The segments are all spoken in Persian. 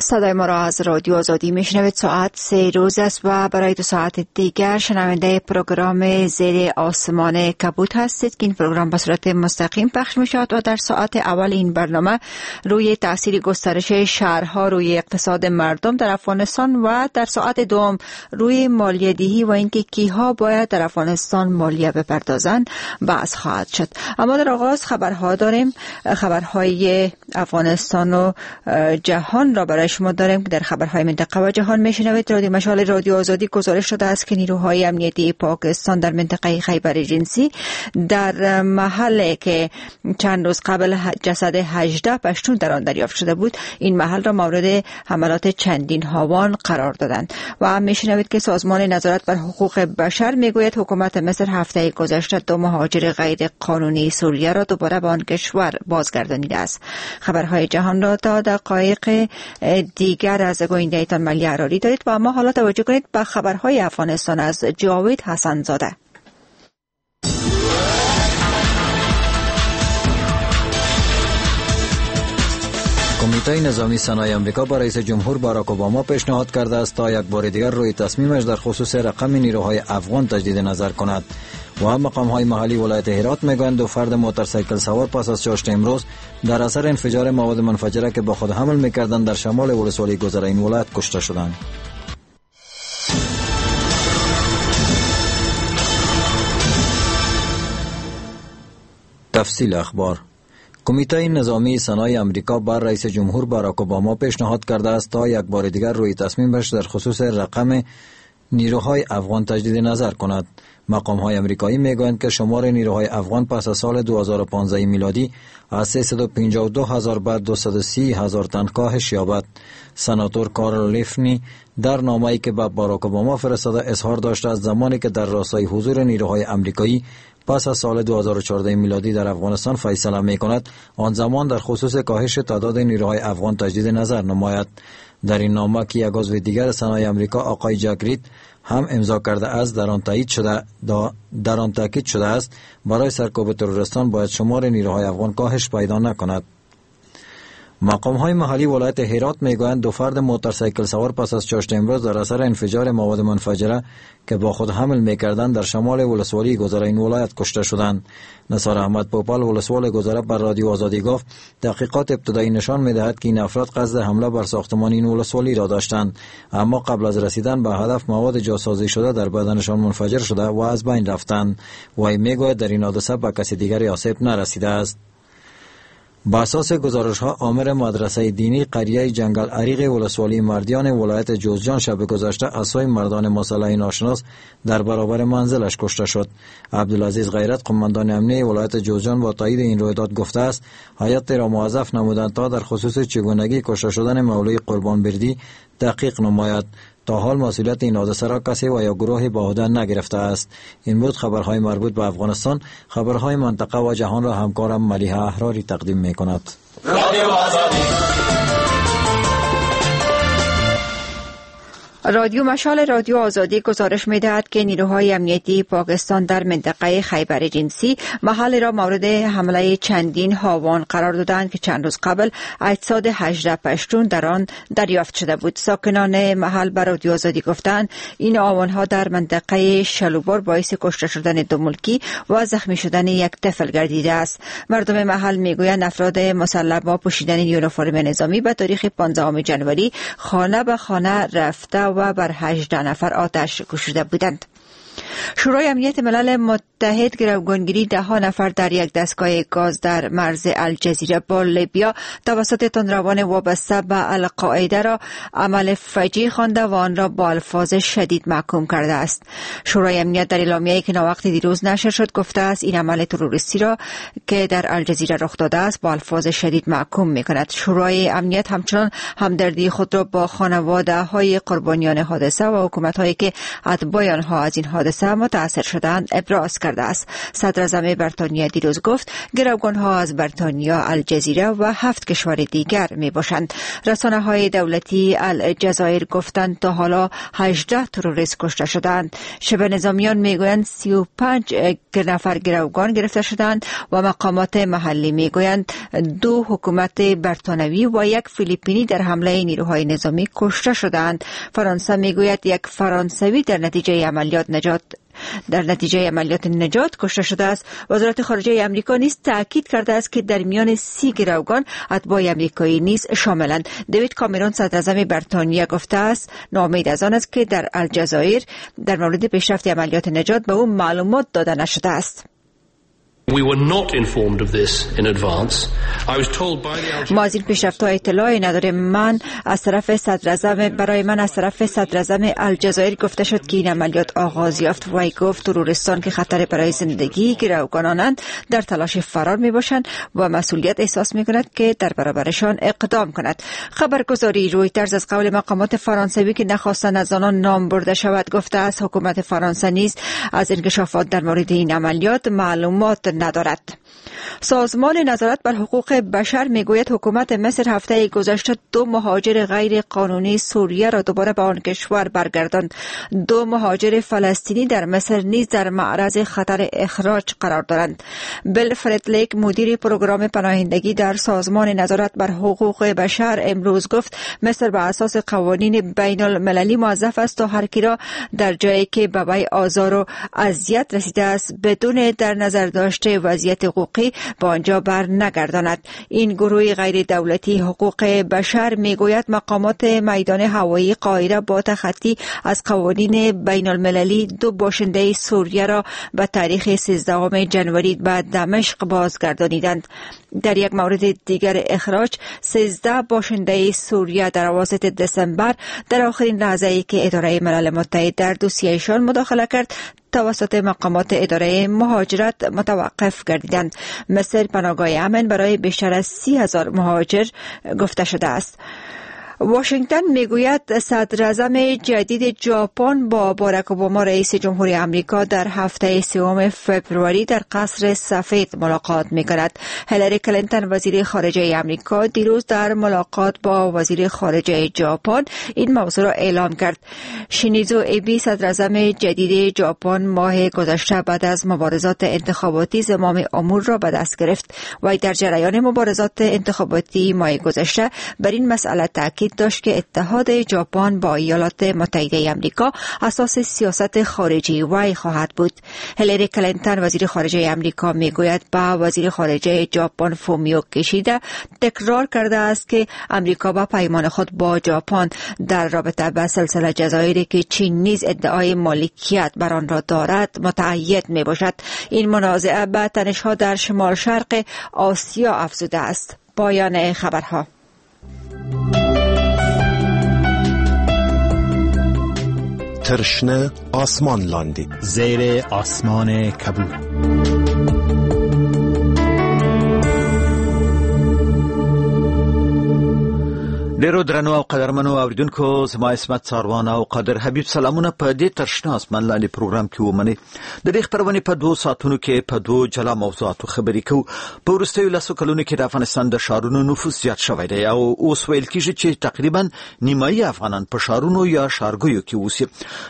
صدای ما را از رادیو آزادی میشنوید. ساعت 3 روز است و برای 2 ساعت دیگر شنونده پروگرام زیر آسمان کبود هستید که این پروگرام به صورت مستقیم پخش میشود و در ساعت اول این برنامه روی تاثیر گسترش شهرها روی اقتصاد مردم در افغانستان و در ساعت دوم روی مالیه دهی و اینکه کیها باید در افغانستان مالیه بپردازند بحث خواهد شد. اما در آغاز خبرها داریم، خبرهای افغانستان و جهان را برای شما داریم که در خبرهای منطقه و جهان میشنوید. رادیو مشال رادیو آزادی گزارش شده است که نیروهای امنیتی پاکستان در منطقه خیبر ایجنسی در محلی که چند روز قبل جسد 18 پشتون در آن دریافت شده بود، این محل را مورد حملات چندین هاوان قرار دادند. و میشنوید که سازمان نظارت بر حقوق بشر میگوید حکومت مصر هفته گذشته 2 مهاجر غیر قانونی سوریه را دوباره به آن کشور بازگردانیده است. خبرهای جهان را تا دقایق دیگر از گوینده ایتان ملی عراری دارید و اما حالا توجه کنید به خبرهای افغانستان از جاوید حسن زاده. کمیته نظامی سنای آمریکا با رئیس جمهور باراک اوباما پیشنهاد کرده است تا یک بار دیگر روی تصمیمش در خصوص رقم نیروهای افغان تجدید نظر کند. و مقام های محلی ولایت هرات میگویند 2 فرد موتورسیکل سوار پس از چاشت امروز در اثر انفجار مواد منفجره که با خود حمل میکردند در شمال ولسوالی گذره این ولایت کشته شدند. تفصیل اخبار. کمیته نظامی سنای آمریکا بر رئیس جمهور باراک اوباما پیشنهاد کرده است تا یک بار دیگر روی تصمیمش در خصوص رقم نیروهای افغان تجدید نظر کند. مقام های آمریکایی میگویند که شمار نیروهای افغان پس از سال 2015 میلادی از 352,000 به 230,000 تن کاهش یابد. سناتور کارل لیفنی در نامه‌ای که به باراک اوباما فرستاده اظهار داشته از زمانی که در راستای حضور نیروهای آمریکایی پس از سال 2014 میلادی در افغانستان فیصله می کند، آن زمان در خصوص کاهش تعداد نیروهای افغان تجدید نظر نماید. در این نامه که یک عضو دیگر سنای آمریکا آقای جک رید هم امضا کرده است، در آن تاکید شده است برای سرکوب تروریستان باید شمار نیروهای افغان کاهش پیدا نکند. مقام های محلی ولایت هرات میگویند 2 فرد موتورسیکل سوار پس از چاشت امروز در اثر انفجار مواد منفجره که با خود حمل میکردند در شمال ولسوالی گذره این ولایت کشته شدند. نثار احمد پوپال ولسوال گذره بر رادیو آزادی گفت تحقیقات ابتدایی نشان میدهد که این افراد قصد حمله بر ساختمان این ولسوالی را داشتند، اما قبل از رسیدن به هدف مواد جاسازی شده در بدنشان منفجر شده و از بین رفتند. وی میگوید در این حادثه به کسی دیگری آسیب نرسیده است. با اساس گزارش ها آمر مدرسه دینی قریه جنگل عریق ولسوالی مردیان ولایت جوزجان شب گذشته از سوی مردان مسلح ناشناس در برابر منزلش کشته شد. عبدالعزیز غیرت قماندان امنیه ولایت جوزجان با تایید این رویداد گفته است هیئت را موظف نمودند تا در خصوص چگونگی کشته شدن مولوی قربان بردی تحقیق نماید. تا حال مسئولیت این حادثه را کسی و یا گروهی به عهده نگرفته است. این بود خبرهای مربوط به افغانستان. خبرهای منطقه و جهان را همکارم ملیحه احراری تقدیم می کند. رادیو مشال رادیو آزادی گزارش می‌دهد که نیروهای امنیتی پاکستان در منطقه خیبر ایجنسی محل را مورد حمله چندین هاوان قرار دادند که چند روز قبل اجساد 18 پشتون در آن دریافت شده بود. ساکنان محل به رادیو آزادی گفتند این هاوان‌ها در منطقه شلوبار باعث کشته شدن 2 ملکی و زخمی شدن یک طفل گردیده است. مردم محل میگویند افراد مسلح با پوشیدن یونیفرم نظامی به تاریخ 15 جنوری خانه به خانه رفته و بر 18 نفر آتش گشوده بودند. شورای امنیت ملل متحد گروگانگیری 10 نفر در یک دستگاه گاز در مرز الجزیره با لیبیا توسط تندروان وابسته به القاعده را عمل فجیع خوانده و آن را با الفاظ شدید محکوم کرده است. شورای امنیت در اعلامیه‌ای که ناوقت دیروز نشر شد گفته است این عمل تروریستی را که در الجزیره رخ داده است با الفاظ شدید محکوم می‌کند. شورای امنیت همچنان همدردی خود را با خانواده‌های قربانیان حادثه و حکومت‌هایی که اتباع آنها از این حادثه حادثه متاثر شدند ابراز کرده است. صدراعظم بریتانیا دیروز گفت گروگان‌ها از بریتانیا، الجزیره و 7 کشور دیگر می باشند. رسانه های دولتی الجزایر گفتند تا حالا 18 تروریست کشته شدند. شبه نظامیان میگویند 35 نفر گروگان گرفته شدند و مقامات محلی میگویند 2 حکومت بریتانوی و 1 فیلیپینی در حمله نیروهای نظامی کشته شدند. فرانسه میگوید 1 فرانسوی در نتیجه عملیات نجات کشته شده است. وزارت خارجه امریکا نیز تاکید کرده است که در میان 30 گروگان اتباع امریکایی نیز شاملند. دیوید کامرون صدراعظم بریتانیا گفته است ناامید از آن است که در الجزایر در مورد پیشرفت عملیات نجات به او معلومات داده نشده است. ما از این پیشرفت‌ها اطلاعی نداریم. من از طرف صدراعظم الجزایر گفته شد که این عملیات آغاز یافت. وی گفت تروریستان که خطر برای زندگی گروگانانند در تلاش فرار می باشند و مسئولیت احساس می کند که در برابرشان اقدام کند. خبرگزاری رویترز از قول مقامات فرانسوی که نخواستند از آنان نام برده شود گفته است حکومت فرانسه نیز از انکشافات در مورد این عملیات معلومات ندارد. سازمان نظارت بر حقوق بشر میگوید حکومت مصر هفته گذشته 2 مهاجر غیر قانونی سوریه را دوباره به آن کشور برگرداند. 2 مهاجر فلسطینی در مصر نیز در معرض خطر اخراج قرار دارند. بل فردلیک مدیر پروگرام پناهندگی در سازمان نظارت بر حقوق بشر امروز گفت مصر به اساس قوانین بین المللی موظف است تا هر کی را در جایی که به وی آزار و اذیت رسیده است بدون در نظر داشت وضعیت حقوقی به آنجا بر نگرداند. این گروه غیر دولتی حقوق بشر میگوید مقامات میدان هوایی قاهره با تخطی از قوانین بین المللی 2 باشنده سوریه را به تاریخ 13 جنوری به دمشق بازگردانیدند. در یک مورد دیگر اخراج 13 باشنده سوریه در اواسط دسامبر در آخرین لحظه ای که اداره ملل متحد در دوسیه‌شان مداخله کرد توسط مقامات اداره مهاجرت متوقف گردیدند. مصر پناهگاه امن برای بیشتر از 30,000 مهاجر گفته شده است. واشنگتن میگوید صدراعظم جدید ژاپن با باراک اوباما رئیس جمهوری آمریکا در هفته 3 فوریه در قصر سفید ملاقات میکند. هیلاری کلینتون وزیر خارجه آمریکا دیروز در ملاقات با وزیر خارجه ژاپن این موضوع را اعلام کرد. شینزو ابی صدراعظم جدید ژاپن ماه گذشته بعد از مبارزات انتخاباتی زمام امور را به دست گرفت و در جریان مبارزات انتخاباتی ماه گذشته بر این مسئله تاکید داشت که اتحاد ژاپن با ایالات متحده آمریکا اساس سیاست خارجی وی خواهد بود. هیلاری کلینتون وزیر خارجه آمریکا میگوید با وزیر خارجه ژاپن فومیو کیشیدا تکرار کرده است که آمریکا با پیمان خود با ژاپن در رابطه با سلسله جزایری که چین نیز ادعای مالکیت بر آن را دارد متعهد می باشد. این منازعه به تنش‌ها در شمال شرق آسیا افزوده است. پایان خبرها. ترشنه آسمان لاندی، زیر آسمان کبود. ډیرو درنو او قدرمنو اوریدونکو، زما عصمت څاروان او قادر حبیب سلامونه په دې تر شنه اسمان لاندې پروګرام کې ومنئ. د دې خپرونې په 2 ساعتونو کې په 2 جلا موضوعاتو خبرې کوو. په وروستیو 10 کلونو کې د افغانستان د ښارونو نفوس زیات شوی دی او اوس ویل کیږي چې تقریبا نیمایي افغانان په ښارونو یا ښارګیو کې اوسي.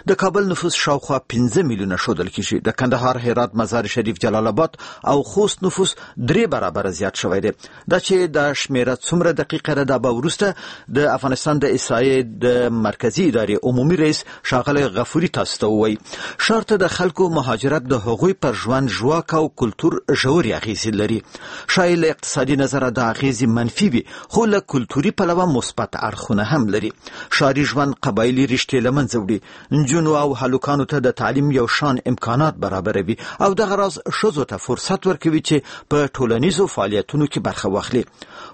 د کابل نفوس شاوخوا 5 میلیونه ښودل کیږي. د کندهار، هرات، مزار شریف، جلال آباد او خوست نفوس 3 برابره زیات شوی دی. دا چې دا شمېره څومره دقیقه ده، دا به وروسته د افغانستان د احصایې د مرکزي ادارې عمومي رئیس ښاغلی غفوري تاسو ته ووایي. ښار ته د خلکو مهاجرت د هغوی پر ژوند، ژواک او کلتور ژورې اغېزې لري. ښایي له اقتصادي نظره دا اغېزې منفي وي، خو له کلتوري پلوه مثبت اړخونه هم لري. ښاري ژوند قبایلي رشتې له منځه وړي، نجونو او هلکانو ته د تعلیم یو شان امکانات برابروي او دغه راز ښځو ته فرصت ورکوي چې په ټولنیزو فعالیتونو کې برخه واخلي.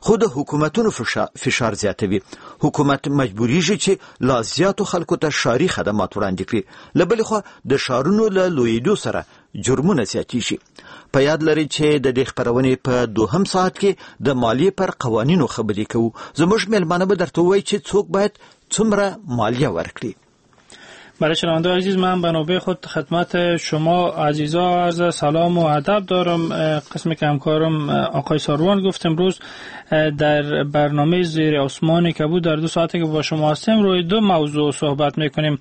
خو د حکومتونو فشار زیاتوي. حکومت مجبوریږي چې لا زیاتو خلکو ته ښاري خدمات وړاندې کړي. له بلې خوا د ښارونو له لویېدو سره جرمونه زیاتیږي. په یاد لرئ چې د دې خپرونې په دوهم ساعت کې د مالیې پر قوانینو خبرې کوو. زموږ مېلمانه به درته ووایي چې څوک باید څومره مالیه ورکړي. برای شنونده عزیز، من به نوبه خود خدمت شما عزیزا عرض سلام و ادب دارم. قسمی که همکارم آقای ساروان گفت، امروز در برنامه زیر آسمان کبود در 2 ساعتی که با شما هستیم روی 2 موضوع صحبت میکنیم: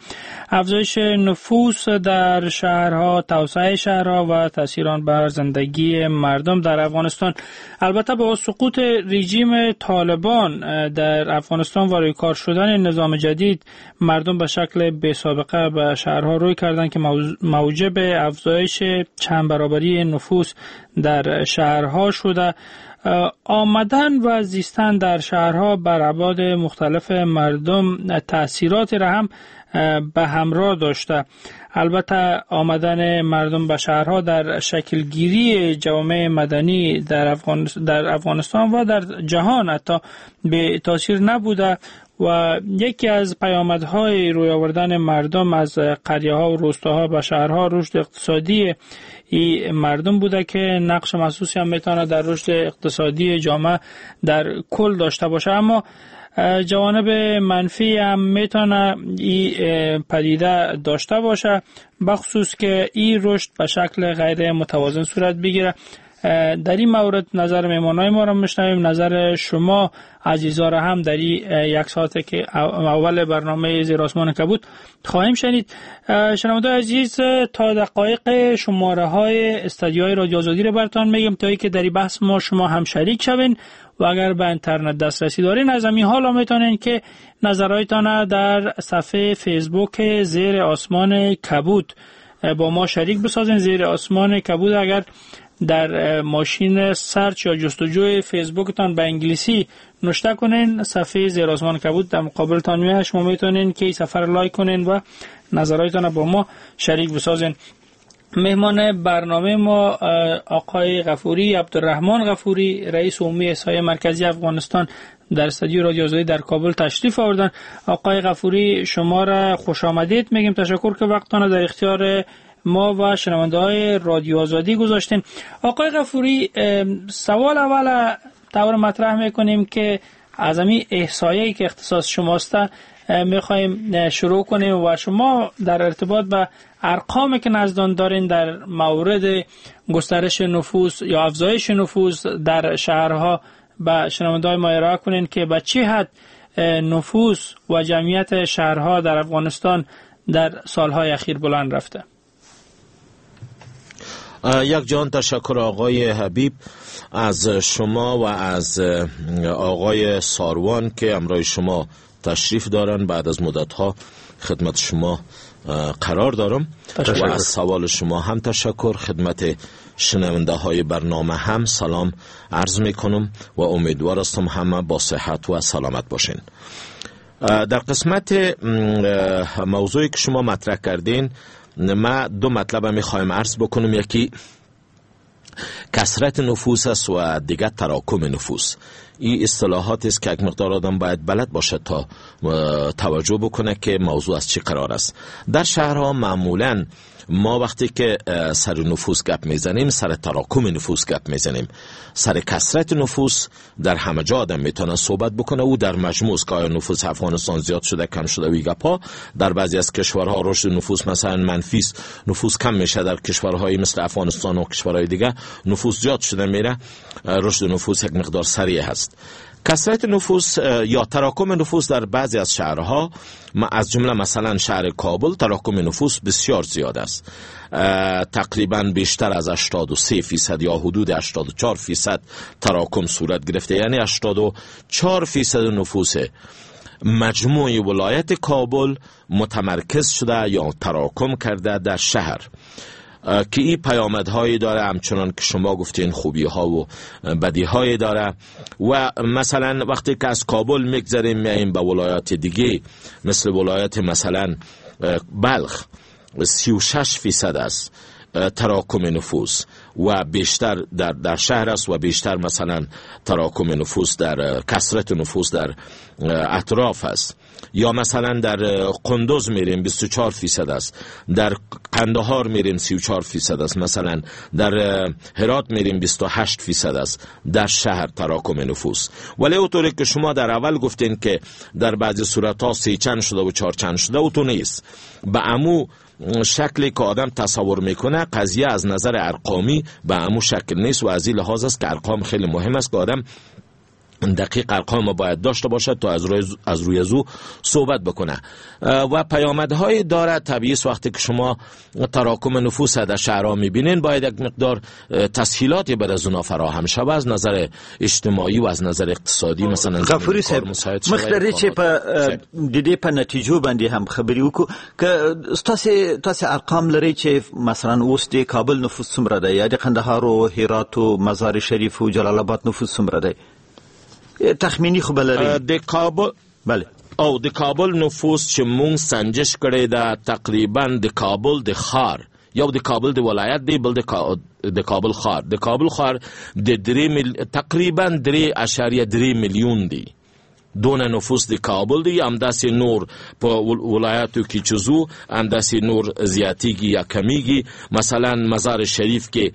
افزایش نفوس در شهرها، توسعه شهرها و تاثیر آن بر زندگی مردم در افغانستان. البته با سقوط رژیم طالبان در افغانستان و روی کار شدن نظام جدید، مردم به شکل بی سابقه به شهرها روی کردند که موجب افزایش چند برابری نفوس در شهرها شده. آمدن و زیستن در شهرها بر ابعاد مختلف مردم تأثیرات را هم به همراه داشته. البته آمدن مردم به شهرها در شکلگیری جوامع مدنی در افغانستان و در جهان حتی به تاثیر نبوده و یکی از پیامدهای روی آوردن مردم از قریه ها و روستاها به شهرها رشد اقتصادی این مردم بوده که نقش محسوسی هم میتونه در رشد اقتصادی جامعه در کل داشته باشه. اما جوانب منفی هم میتونه این پدیده داشته باشه، بخصوص که این رشد به شکل غیر متوازن صورت بگیره. در این مورد نظر مهمانای ما را میشنویم، نظر شما عزیزا را هم در این یک ساعت که اول برنامه زیر آسمان کبود خواهیم شنید. شنوندگان عزیز، تا دقایق شماره های استدیوهای رادیو آزادی را براتون میگم تا اینکه در این بحث ما شما هم شریک شوین و اگر به اینترنت دسترسی دارین از همین حالا میتونین که نظرهایتان در صفحه فیسبوک زیر آسمان کبود با ما شریک بسازین. زیر آسمان کبود اگر در ماشین search یا جستجوی فیسبوکتان به انگلیسی نوشته کنین، صفحه زیر آسمان کبود در مقابلتان میاد. شما میتونین که صفحه را like کنین و نظرهایتان با ما شریک بسازین. مهمان برنامه ما آقای غفوری، عبدالرحمن غفوری، رئیس عمومی احصائیه مرکزی افغانستان در استودیو رادیو آزادی در کابل تشریف آوردن. آقای غفوری، شما را خوش آمدید میگیم. تشکر که وقتتان در اختیار ما و شنونده های رادیو آزادی گذاشتین. آقای غفوری، سوال اول طور مطرح میکنیم که از همین احصایه‌ای که اختصاص شماست میخوایم شروع کنیم و شما در ارتباط به ارقامی که نزدان دارین در مورد گسترش نفوس یا افزایش نفوس در شهرها به شنونده های ما ارائه کنین که به چه حد نفوس و جمعیت شهرها در افغانستان در سالهای اخیر بلند رفته. یک جان تشکر آقای حبیب از شما و از آقای ساروان که همراه شما تشریف دارن. بعد از مدتها خدمت شما قرار دارم و از سوال شما هم تشکر. خدمت شنونده های برنامه هم سلام عرض میکنم و امیدوار هستم همه با صحت و سلامت باشین. در قسمت موضوعی که شما مطرح کردین، ما 2 مطلب میخوایم عرض بکنم. یکی کثرت نفوس است و دیگر تراکم نفوس. این اصطلاحات است که یک مقدار آدم باید بلد باشه تا توجه بکنه که موضوع از چی قرار است. در شهرها معمولاً ما وقتی که سر نفوس گپ میزنیم، سر تراکم نفوس گپ میزنیم. سر کثرت نفوس در همه جا آدم میتونه صحبت بکنه و در مجموع که آیا نفوس افغانستان زیاد شده کم شده و گپ ها. در بعضی از کشورها رشد نفوس مثلا منفی است، نفوس کم میشه. در کشورهای مثل افغانستان و کشورهای دیگه نفوس زیاد شده میره، رشد نفوس یک مقدار سریع هست. کثرت نفوس یا تراکم نفوس در بعضی از شهرها، از جمله مثلا شهر کابل، تراکم نفوس بسیار زیاد است. تقریبا بیشتر از 83% یا حدود 84% تراکم صورت گرفته، یعنی 84% نفوس مجموع ولایت کابل متمرکز شده یا تراکم کرده در شهر، که این پیامدهایی داره، همچنان که شما گفتین خوبی ها و بدی های داره. و مثلا وقتی که از کابل میگذریم میاییم به ولایات دیگه، مثل ولایت مثلا بلخ 36% است. تراکم نفوس و بیشتر در شهر است و بیشتر مثلا تراکم نفوس در کثرت نفوس در اطراف است. یا مثلا در قندوز میریم 24% است، در قندهار میریم 34% است، مثلا در هرات میریم 28% است در شهر تراکم نفوس. ولی اونطوری که شما در اول گفتین که در بعضی صورت‌ها 3 چند شده و 4 چند شده، اونطور نیست. به عمو شکلی که آدم تصور میکنه قضیه از نظر ارقامی به عمو شکل نیست و از این لحاظ است که ارقام خیلی مهم است که آدم دقیق ارقام باید داشته باشد تا از روی از او صحبت بکنه. و پیامدهای داره طبیعی است. وقتی که شما تراکم نفوس در شهرها میبینین باید یک مقدار تسهیلاتی بر از اونا فراهم شود از نظر اجتماعی و از نظر اقتصادی. مثلا غفوری صاحب مخ چې په د دې په نتیجو باندې هم خبرې وکړو که تاسو ارقام لرئ چې مثلا اوس د کابل نفوس څومره دی یا د قندهار او هرات او مزار شریف او جلال آباد نفوس څومره دی؟ تخمینی خو بلري. د کابل بله او د کابل نفوس چې مونږ سنجش کړی دا تقریبا د کابل د ښار، یو د کابل د ولایت دی، بل د کابل ښار. د کابل ښار د تقریبا 3.3 میلیون دی دونه نفوس د کابل دی. همداسې نور په ولایاتو کې چې ځو همداسې نور زیاتیږي یا کمیږي. مثلا مزار شریف کې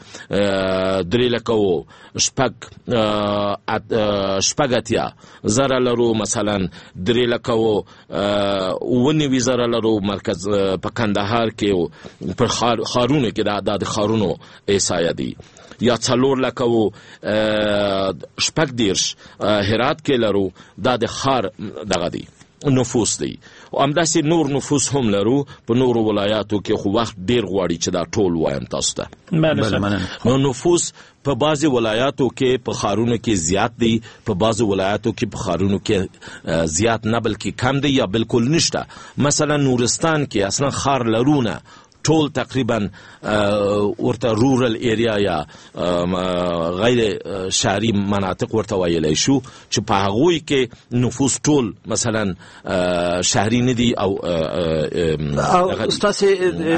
3,86,000 لرو، مثلا 3,97,000 لرو مرکز په کندهار کې او په ښارونو کې، دا د ښارونو احصایه دی. یا 4,36,000 هرات کې لرو، دا د ښار دغه دی نفوس دی. او همداسې نور نفوس هم لرو په نورو ولایاتو کې، خو وخت ډیر غواړي چې دا ټول وایم تاسو ته. نو نفوس په بعضې ولایاتو کې په ښارونو کې زیات دی، په بعضې ولایاتو کې په ښارونو کې زیات نه بلکې کم دی یا بالکل نشته. مثلا نورستان کې اصلا ښار لرونه ټول تقریبا ورته rural area یا غیر شهري مناطق ورته ویلی شو چې په هغوی کې نفوس ټول مثلا شهري نه دي او ستاسې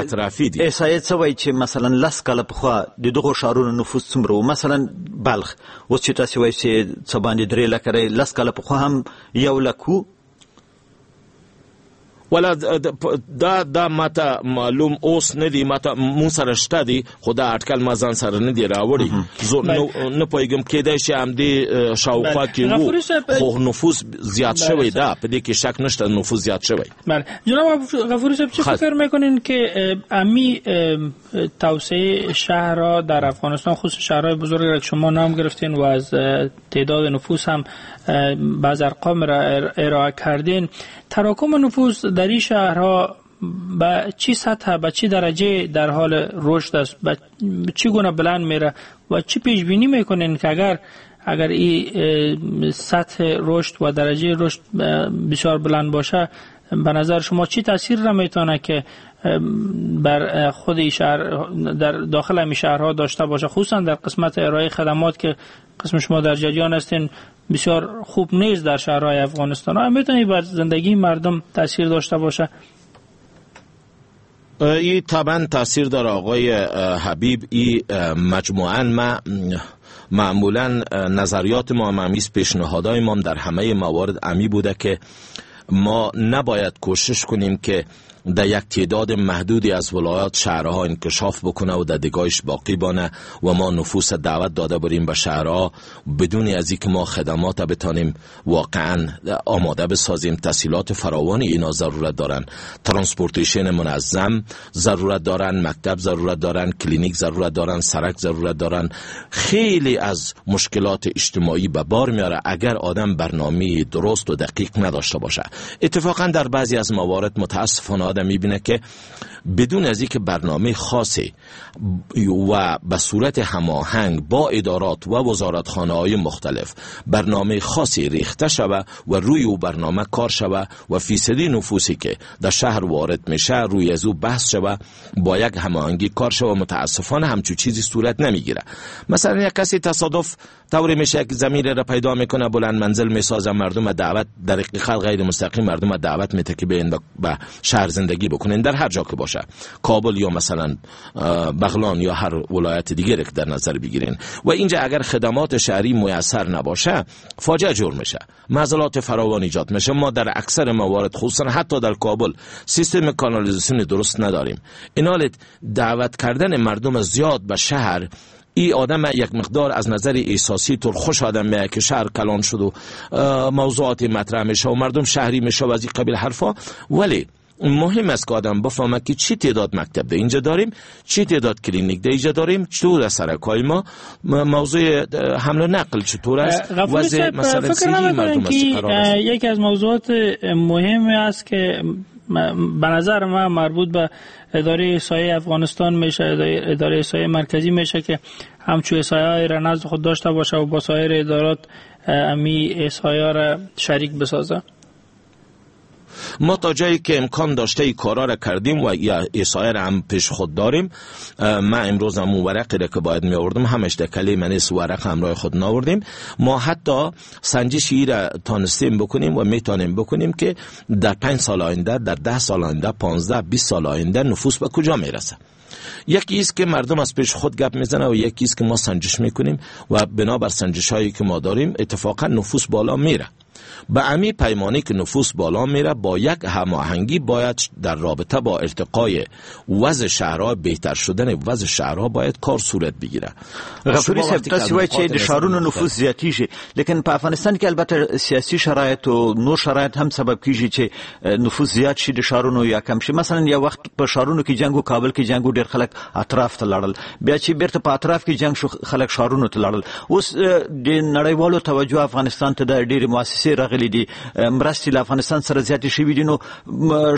اطرافي دي. احصایه څه وایي چې مثلا 10 کاله پخوا د دغو ښارونو نفوس څومره و؟ مثلا بلخ اوس چې تاسې وایئ چې څه باندې 3 لکه دی، 10 کاله پخوا هم 1 لک و؟ ولا دا ماته معلوم اوس نه دی، ماته مون سره شته دی، خو دا اټکل ما ځان سره نه دی راوړی، زه نه پوهېږم. کېدای شي همدې شاوخوا کې وو، خو نفوس زیات شوی ده، په دې کې شک نشته نفوس زیات شوی. بله جناب غفوری صاحب، چه فکر میکنین که امی توسعه شهرها در افغانستان، خصوصا شهرهای بزرگ را که شما نام گرفتین و از تعداد نفوس هم بعض ارقام را ارائه کردین، تراکم نفوس در این شهرها به چی سطح، به چی درجه در حال رشد است، به چی گونه بلند میره و چی پیش بینی میکنین که اگر این سطح رشد و درجه رشد بسیار بلند باشه، به نظر شما چی تاثیر را میتونه که بر خود شهر در داخل همین شهرها داشته باشه، خصوصا در قسمت ارائه خدمات که قسم شما در جریان هستین بسیار خوب نیست در شهرهای افغانستان، آیا میتونی بر زندگی مردم تاثیر داشته باشه؟ این طبعا تاثیر داره آقای حبیب. این مجموعاً ما معمولا نظریات ما همیز پیشنهادهای ما در همه موارد امی بوده که ما نباید کوشش کنیم که در یک تعداد محدودی از ولایات شهرها انکشاف بکنه و در دیگایش باقی بانه و ما نفوس دعوت داده بریم به شهرها بدون از اینکه ما خدمات بتانیم واقعا آماده بسازیم. تسهیلات فراوانی اینا ضرورت دارن، transportation منظم ضرورت دارن، مکتب ضرورت دارن، کلینیک ضرورت دارن، سرک ضرورت دارن. خیلی از مشکلات اجتماعی به بار میاره اگر آدم برنامه درست و دقیق نداشته باشه. اتفاقا در بعضی از موارد متاسفانه آدم میبینه که بدون از اینکه برنامه خاصی و به صورت هماهنگ با ادارات و وزارتخانه‌های مختلف برنامه خاصی ریخته شوه و روی او برنامه کار شوه و فیصدی نفوسی که در شهر وارد میشه روی از او بحث شوه، با یک هماهنگی کار شوه، متاسفانه همچون چیزی صورت نمیگیره. مثلا یک کسی تصادف طوری میشه که زمین را پیدا میکنه، بلند منزل میسازه، مردم دعوت در حقیقت غیر مستقیم مردم دعوت میته که بیاین به شهر زندگی بکنین، در هر جا که باشه، کابل یا مثلا بغلان یا هر ولایت دیگه که در نظر بگیرین. و اینجا اگر خدمات شهری میسر نباشه فاجعه جور میشه، معضلات فراوان ایجاد میشه. ما در اکثر موارد خصوصا حتی در کابل سیستم کانالیزاسیون درست نداریم. اینالت دعوت کردن مردم زیاد به شهر، ای آدم یک مقدار از نظر احساسی طور خوش آدم میاد که شهر کلان شد و موضوعات مطرح میشه و مردم شهری میشه و از این قبیل حرفا، ولی مهم است که آدم بفهمه که چی تعداد مکتب ده اینجا داریم، چی تعداد کلینیک ده اینجا داریم، چطور از سرکای ما موضوع حمل و نقل چطور است، وضع مثلا سیری مردم است قرار است. یکی از موضوعات مهم است که به نظر من مربوط به اداره احصایه افغانستان میشه، اداره احصایه مرکزی میشه که همچو احصایه را نزد خود داشته باشه و با سایر ادارات امی احصایه را شریک بسازه. ما تا جایی که امکان داشته ای کارا را کردیم و احصایه را هم پیش خود داریم. من امروز هم اون ورقی را که باید می آوردم همش در کلی من نیست، ورق همراه خود نآوردیم. ما حتی سنجش ای را تانستیم بکنیم و میتونیم بکنیم که در 5 سال آینده، در 10 سال آینده، 15 20 سال آینده نفوس به کجا میرسه. یکی است که مردم از پیش خود گپ میزنه و یکی است که ما سنجش میکنیم و بنابر سنجش هایی که ما داریم اتفاقا نفوس بالا میره. به امی پیمانه که نفوس بالا میره با یک هماهنگی باید در رابطه با ارتقای وضع شهرها، بهتر شدن وضع شهرها باید کار صورت بگیره. غفوری صاحب تاسو وایئ چې د شهرونو نفوس زیاتیږي، لیکن په افغانستان کې البته سیاسي شرایط او نور شرایط هم سبب کیږي چې نفوس زیات شي د شهرونو یا کم شي. مثلا یو وخت په شهرونو کې جنگ و کابل کې جنگ و ډیر خلک اطراف ته لاړل، بیا چې بیرته په اطراف کې جنگ شو خلک شهرونو ته لاړل. اوس د نړیوالو توجه افغانستان ته د ډېرې مؤسسې راغلي دي، مرستې له افغانستان سره زیاتې شوې دي، نو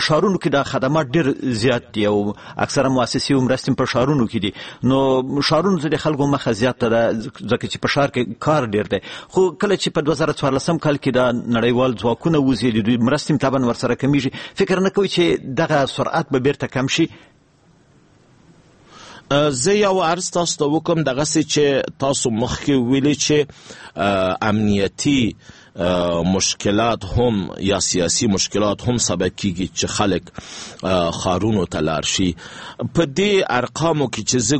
ښارونو کې دا خدمات ډېر زیات دي او اکثره مؤسسې او مرستې په ښارونو کې دي، نو ښارونو ته د خلکو مخه زیاته ده ځکه چې په ښار کې کار ډېر دی. خو کله چې په 2014 کال کې دا نړیوال ځواکونه وځي، د دوی مرستې طبعا ورسره کمیږي، فکر نه کوي چې دغه سرعت به بیرته کم شي؟ زه یو عرض تاسو ته وکم، دغسې چې تاسو مخکې ویلي چې امنیتي مشکلات هم یا سیاسي مشکلات هم سبب کیږي چې خلک ښارونو ته لاړ شي. په دې ارقامو کې چې زه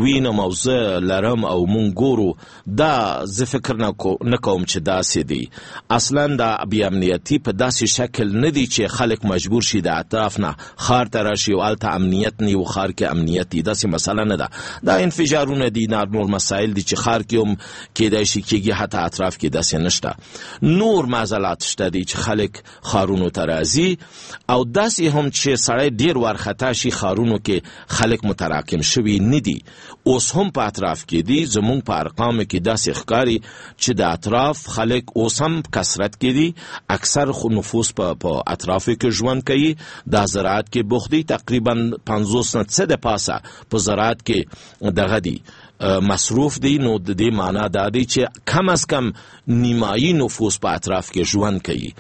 وینم او زه لرم او مونږ ګورو، دا زه فکر نه کوم چې داسې دی. اصلا دا بې امنیتي په داسې شکل نه دی چې خلک مجبور شي د اطراف نه ښار ته راشي او هلته امنیت نه وي، ښار کې امنیت دی، داسې مسله نه ده. دا انفجارونه دي، نور مسایل دي چې ښار کې هم کیدای شي کیږي، حتی اطراف کې داسې نشته. نور معضلات شته دي چې خلک ښارونو ته راځي او داسې هم چې سړی ډیر وارخطا شي ښارونو کې خلک متراکم شوي نه دي، اوس هم په اطراف کې دي. زمونږ په ارقامو کې داسې ښکاري چې د اطراف خلک اوس هم کثرت کې دي، اکثر خو نفوس په اطرافو کې ژوند کوي، دا زراعت کې بوخت دي، تقریبا 50 نه څه د پاسه په زراعت کې دغه دي مصروف دی. نو د دې معنا دا دی چې کم از کم نیمایي نفوس په اطراف کې ژوند کوي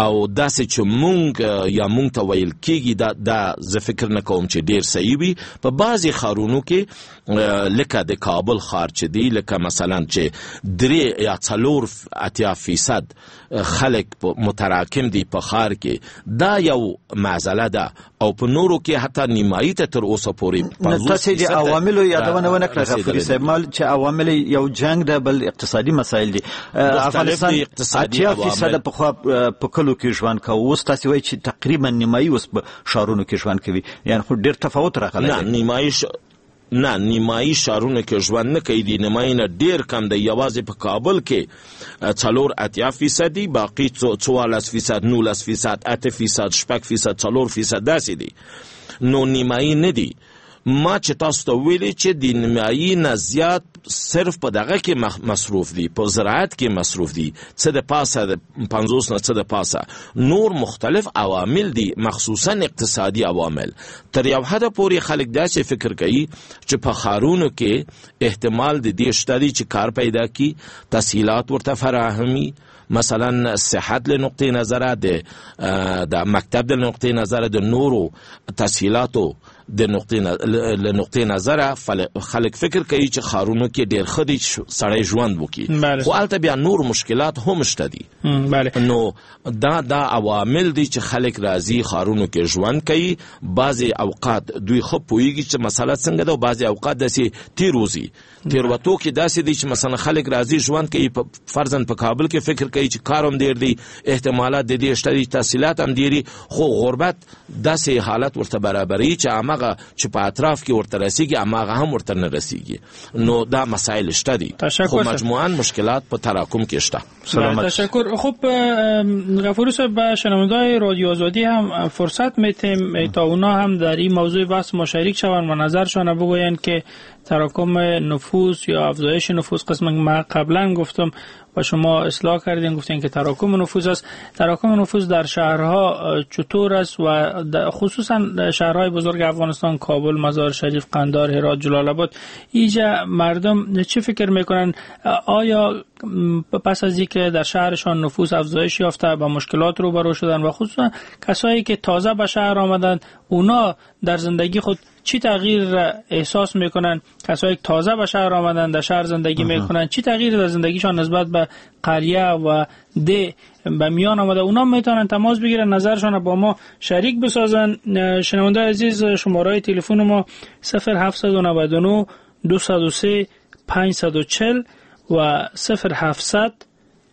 او داسې چې مونږ یا مونږ ته ویل کیږي دا زه فکر نه کوم چې ډیر صحیح وي. په بعضې ښارونو کې لکه د کابل ښار چې دی، لکه مثلا چې 3 یا 84% خلک متراکم دي په ښار کې، دا یو معضله ده. او په نورو کې حتی نیمایي ته تر اوسه پورې 50 تاسې د عواملو یادونه ونه کړه غفوري صاحب، مال چې عوامل یو جنگ ده، بل اقتصادي مسایل دي. افغانستان 80% پخوا په کلو کې ژوند کاوه، اوس تاسې وایئ چې تقریبا نیمایي اوس په ښارونو کې ژوند کوي، یعنی خو ډېر تفاوت راغلی دی. نه نیمایي ښارونو کې ژوند نه کوي، د نیمایي نه ډېر کم دی. یوازې په کابل کې 84% دي، باقي 14%، 19%، 8%، 6%، 4% داسې دي. نو نیمایي نه دي. ما چې تاسو ته ویلي چې د نیمایي نه زیات صرف په دغه کې مصروف دي، په زراعت کې مصروف دي، څه د پاسه د 50 نه څه د پاسه. نور مختلف عوامل دي، مخصوصا اقتصادي عوامل. تر یو حده پورې خلک داسې فکر کوي چې په ښارونو کې احتمال د دې شته دی چې کار پیدا کړي، تسهیلات ورته فراهمي، مثلا صحت له نقطې نظره، د مکتب له نقطې نظره، د نورو تسهیلاتو د نقطې نظره خلک فکر کوي چې ښارونو کې ډېر ښه دی چې سړی ژوند وکړي، خو هلته بیا نور مشکلات هم شته دي. نو دا عوامل دي چې خلک راځي ښارونو کې ژوند کوي. بعضې اوقات دوی ښه پوهېږي چې مسله څنګه ده، او بعضې اوقات داسې تېر وځي. تېروتو کې داسې دي چې مثلا خلک راځي ژوند کوي، فرضاً په کابل کې فکر کوي چې کار هم ډېر دی، احتمالات د دې شته دي، تحصیلات هم ډېر دي، خو غربت داسې حالت ورته برابروي چې هماغه چې په اطراف کې ورته رسیږي هماغه هم ورته نه رسیږي. نو دا مسایل شته دي، خو مجموعاً مشکلات په تراکم کې شته. تشکر. خب غفوری صاحب، به شنونده‌های رادیو آزادی هم فرصت میتیم تا اونا هم در این موضوع بحث ما شریک شوند و نظرشان بگویند که تراکم نفوس یا افزایش نفوس، قسم من قبلا گفتم و شما اصلاح کردین، گفتین که تراکم نفوس است. تراکم نفوس در شهرها چطور است و خصوصا شهرهای بزرگ افغانستان، کابل، مزار شریف، قندهار، هرات، جلال آباد، اینجا مردم چه فکر میکنن؟ آیا پس از اینکه در شهرشان نفوس افزایش یافته با مشکلات روبرو شدن و خصوصا کسایی که تازه به شهر آمدند، اونا در زندگی خود چی تغییر احساس میکنن؟ کسایی که تازه به شهر آمدن، در شهر زندگی میکنن، چی تغییر در زندگیشان نسبت به قریه و ده به میان آمده؟ اونا میتونن تماس بگیرن، نظرشان با ما شریک بسازن. شنونده عزیز، شماره تلفن ما 0799 203 540 و 0700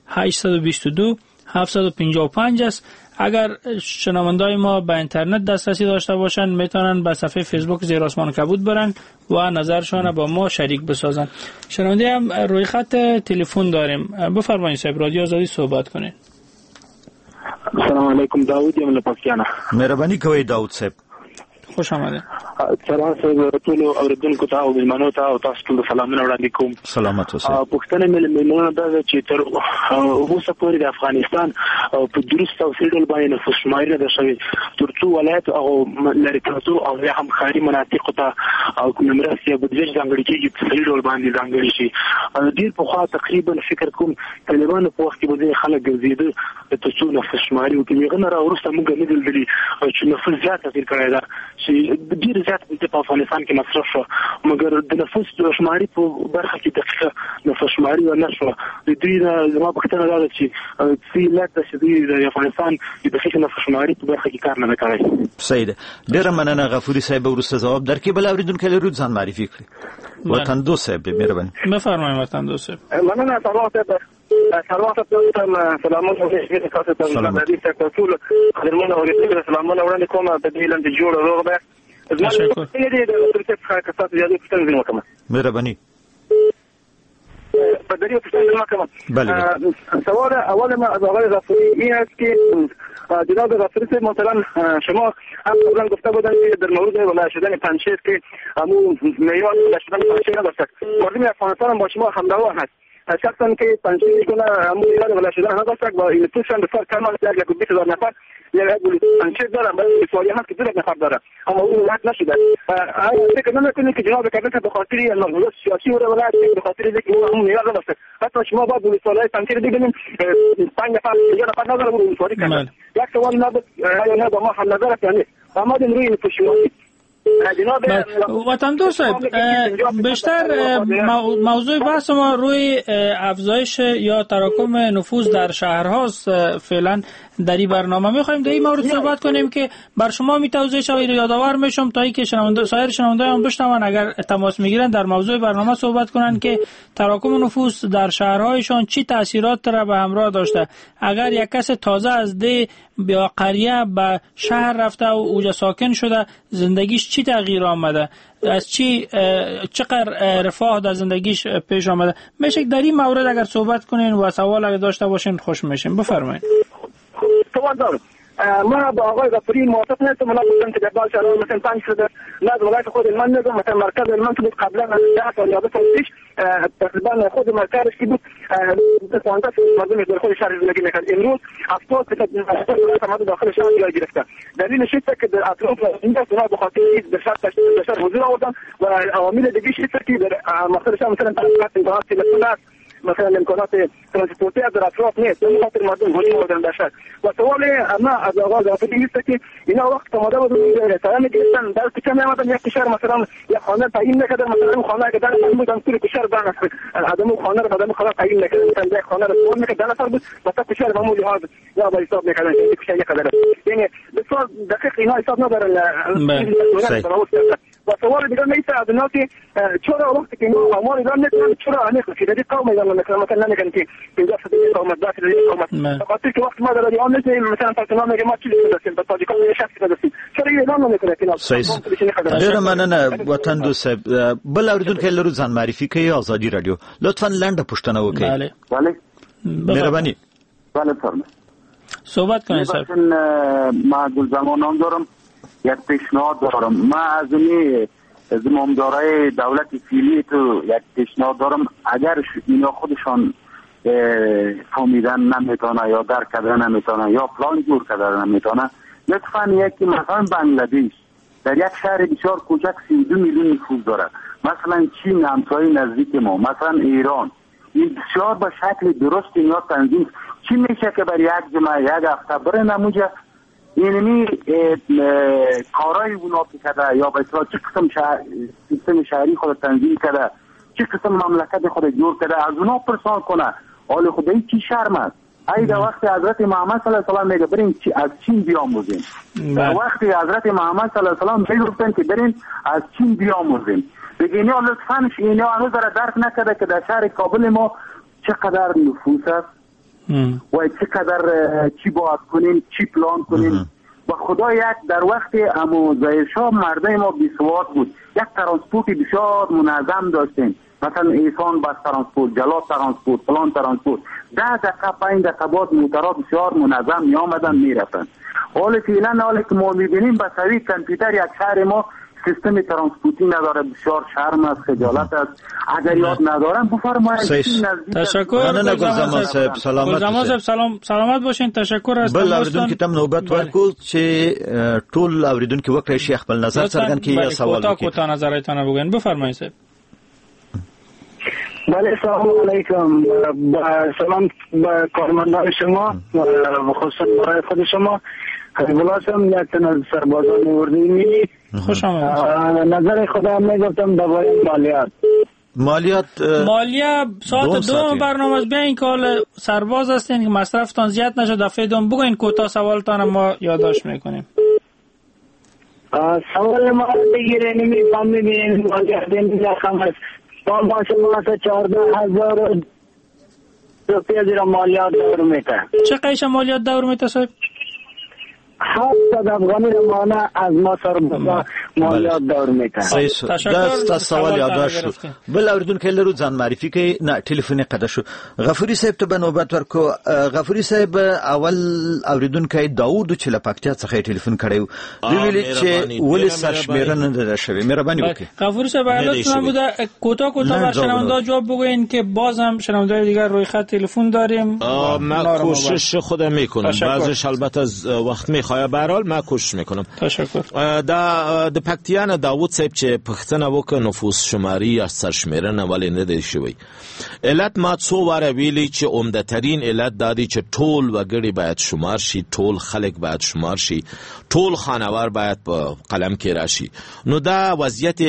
822 755 است. اگر شنوندای ما به اینترنت دسترسی داشته باشند، میتونن به صفحه فیسبوک زیر آسمان کبود برن و نظرشان با ما شریک بسازن. شنونده هم روی خط تلفن داریم. بفرمایید صاحب، رادیو آزادی صحبت کنین. السلام علیکم، داود یم له پکتیا نه. مهرباني کوئ داود صاحب، خوش آمدید. سلام صاحب، ټولو اورېدونکو ته او مېلمنو ته او تاسو ټولو سلامونه وړاندې کوم. سلامت اوسئ. پوښتنه مې له مېلمنو دا ده چې تر اوسه پورې د افغانستان په درست او صحیح ډول باندې نفوس شماري نه ده شوې، تر څو ولایت او لرې پرتو او یا هم ښاري مناطقو ته او کومې مرستې یا بودجه چې ځانګړې کېږي په صحیح ډول باندې ځانګړې شي. ډېر پخوا تقریبا فکر کوم طالبانو په وخت کې به ځینې خلک ګرځېده تر څو نفوس شماري وکړي. هغه نه را وروسته موږ نه دي لیدلي چې نفوس زیات تغیر کړی ده، چې ډېر زیات بودجه په افغانستان کې مصرف شو، مګر د نفوس شماري په برخه کې دقیقه نفوس شماري ونه شوه. د دوی زما پوښتنه دا ده چې څه علت ده چې دوی د افغانستان د دقیق نفوس شماري په برخه کې کار نه دی کړی؟ صحیح ده، ډېره مننه غفوري صاحب. وروسته ځواب درکړي. بل اورېدونکی لرو، ځان معرفي کړي. وطندوست صاحب دی، مهرباني. بفرمایئ وطندوست صاحب. مننه سلام صاحب. سلام صاحب، سلامونه تاسو ته ټول قدرمن اورېدونکو سلامونه وړاندې کوم. په دې لنډ جوړ روغ ده. تشکر. مهرباني. بله. سوال اول ما از آقای غفوری این است که جناب غفوری صاحب مثلا شما هم قبلا گفته بودن که در مورد ولایت شدن پنجشیر که همون معیار ولایت شدن پنجشیر نداشت، مردم افغانستان هم با شما همراه هست. شخصا که پنجشیر کنه همون معیار ولایت شدن نداشت و این نفوسشان بسیار کم است، 120,000 نفر یک پنجشیر دارن، برای سوالی هست که 2 نفر داره، اما اون ولایت نشده. آیا فکر نمی‌کنید که جناب کرزی به خاطر نظر سیاسی او ولایت به خاطر اینکه او همون معیار نداشت، حتی شما باید ولسوالای پنجشیر ببینید 5 نفر 4 نفر نداره ولسوالی کنه. یک سوال نبود، آیا نه با ما هم نظر است یا نه؟ آمدیم روی نفوس. وطن دوست صاحب، بیشتر موضوع بحث ما روی افزایش یا تراکم نفوس در شهرهاست. فعلا در این برنامه میخوایم در این مورد صحبت کنیم که بر شما می توضیح شود، یادآور میشم تا اینکه شنونده سایر شنونده هم بشنون، اگر تماس میگیرن در موضوع برنامه صحبت کنن که تراکم نفوس در شهرهایشان چی تاثیرات را به همراه داشته. اگر یک کس تازه از ده یا قریه به شهر رفته و اوجا ساکن شده، زندگیش چی تغییر آمده، از چی چقدر رفاه در زندگیش پیش آمده، میشه در این مورد اگر صحبت کنین و سوال اگر داشته باشین خوش میشیم. بفرمایید. سوال دارم. ما با آقای غفوری موافق نیستم. من گفتم که در بعض شهرها مثلا 5 شده، نه از ولایت خود من نگم، مثلا مرکز من که بود قبلا 10 سال یا 20 سال پیش تقریبا خود مرکزش که بود 15 مردم در خود شهر زندگی میکرد، امروز 70% مردم داخل شهر جای گرفته. دلیلش اینه که در اطراف این است به خاطر در شهر حضور آوردن و عوامل دیگه اینه که در مقصد شهر مثلا 5 امکانات تلفن است، مثلا امکانات ترانسپورتی در اطراف نیست، به خاطر مردم هجوم آوردن در شهر. و سوال ما از آقا غفوری است که اینا وقت آماده بودن سلام گرفتن در کوچه میامدن، یک کشور مثلا یک خانه تعیین نکردن، مثلا خانه اگه 10 نفر بودن کل کشور 10 نفر آدمو خانه رو آدم خانه تعیین نکردن، مثلا یک خانه رو سوال میکرد 10 نفر بود، مثلا کشور به همون لحاظ یا با حساب میکردن که کشور یک قدر، یعنی بسیار دقیق اینا حساب ندارن. و سوال دیگه نیست از اینا که چرا وقتی که اینا آمار اعلام نکنن، چرا عمیق فیدی قوم اعلام نکنن، مثلا نمیگن که 50% قوم 10% قوم، خاطر که وقت ما در ایران نیست، مثلا پاکستان میگه ما چیزی داشتیم به تاجیکان یه شخصی داشتیم، چرا اعلام نمیکنه که ډیره مننه وطن دوست صاحب. بل اوریدونکی لرو ځان معرفي کوي ازادي رادیو، لطفا لنډه پوښتنه وکړئ. بله بله مهرباني. بله فرمایئ صحبت کنید صاحب. ما گل زمان نام دارم، یک پیشنهاد دارم. ما از این زمامدارای دولت فعلی تو یک پیشنهاد دارم، اگر اینا خودشان فهمیدن نمیتونه یا درک کردن نمیتونه یا پلان جور کردن نمیتونه، لطفاً یکی مثلا بنگلادش در یک شهر بسیار کوچک 32 میلیون نفوس داره، مثلا چین همسایه نزدیک ما، مثلا ایران، این بسیار به شکل درست اینا تنظیم چی میشه که بر یک جمعه یک هفته بره نموجه اینمی کارای اونا که کرده یا به اصطلاح چه قسم سیستم شهری خود تنظیم کرده، چه قسم مملکت خود جور کرده، از اونا پرسان کنه. حال خدایی چی شرم است؟ ای در وقت حضرت محمد صلی الله علیه و سلم میگه بریم از چین بیاموزیم. در وقت حضرت محمد صلی الله علیه و سلم میگفتن که بریم از چین بیاموزیم. دیگه اینا لطفاً اینا هنوز را درک نکرده که در شهر کابل ما چقدر نفوس است و چقدر چی باید کنیم، چی پلان کنیم. و خدا یک در وقت امو ظاهرشاه مردم ما بیسواد بود، یک ترانسپورت بسیار منظم داشتیم، مثلا ایسان بس ترانسپورت، جلال ترانسپورت، فلان ترانسپورت، 10 دقیقه 5 دقیقه بعد موترها بسیار منظم می آمدن می رفتن. حال فعلا حالی که ما می بینیم به سوی کامپیوتر یک شهر ما سیستم ترانسپورتی نداره، بسیار شرم است، خجالت است. اگر یاد ندارم بفرمایید. تشکر گل صاحب، سلامت گل صاحب، سلامت باشین. تشکر از بل اوریدونکو ته نوبت ورکو چې ټول اوریدونکو وکړي شي خپل نظر څرګند کړي یا سوال وکړي. کوتاه نظرتان بگوین، بفرمایید صاحب. بله سلام علیکم، سلام به کارمندان شما و خصوصا برای خود شما. حبیب یک تن از سربازان اردوی ملی. خوش آمدید. نظر خودم میگفتم درباره مالیات. مالیه ساعت 2 برنامه است. بیاین که حال سرباز هستین که مصرفتان زیاد نشه، دفعه دوم بگوین کوتاه سوالتان ما یادداشت میکنیم. سوال ما بگیریم میفهمیم مالیات این رقم است. با ما 14,000 روپیه زیرا مالیات دور میته. چه قیش مالیات دور میته صاحب؟ 700 افغانی مانه از ما سربازا مالیات دور میته. دا ستاسو سوال یادداشت شو. بل اوریدونکی لرو ځان معرفي کوي، نه ټلیفون یې قطع شو. غفوري صاحب ته به نوبت ورکو. غفوري صاحب اول اوریدونکی داوود چې له پکتیا څخه یې ټلیفون کړی و، دوی ویلي چې ولې سرشمېرنه نه ده شوې. مهرباني وکړئ غفوري صاحب، لطفاً بوده کوتاه کوتاه بر شنونده جواب بگوین که باز هم شنونده دیگر روی خط تلفن داریم. من کوشش خودم میکنم، بعضیش البته از وخت میخواه، به هر حال من کوشش میکنم. تشکر. د پکتیا نه داوود صاحب چې پوښتنه وکړه نفوس شماري یا سرشمېرنه ولې نه دی شوی، علت ما څو واره ویلي چې عمده ترین علت دا دی چې ټول وګړي باید شمار شي، ټول خلک باید شمار شي، ټول خانوار باید په قلم کې راشي. نو دا وضعیت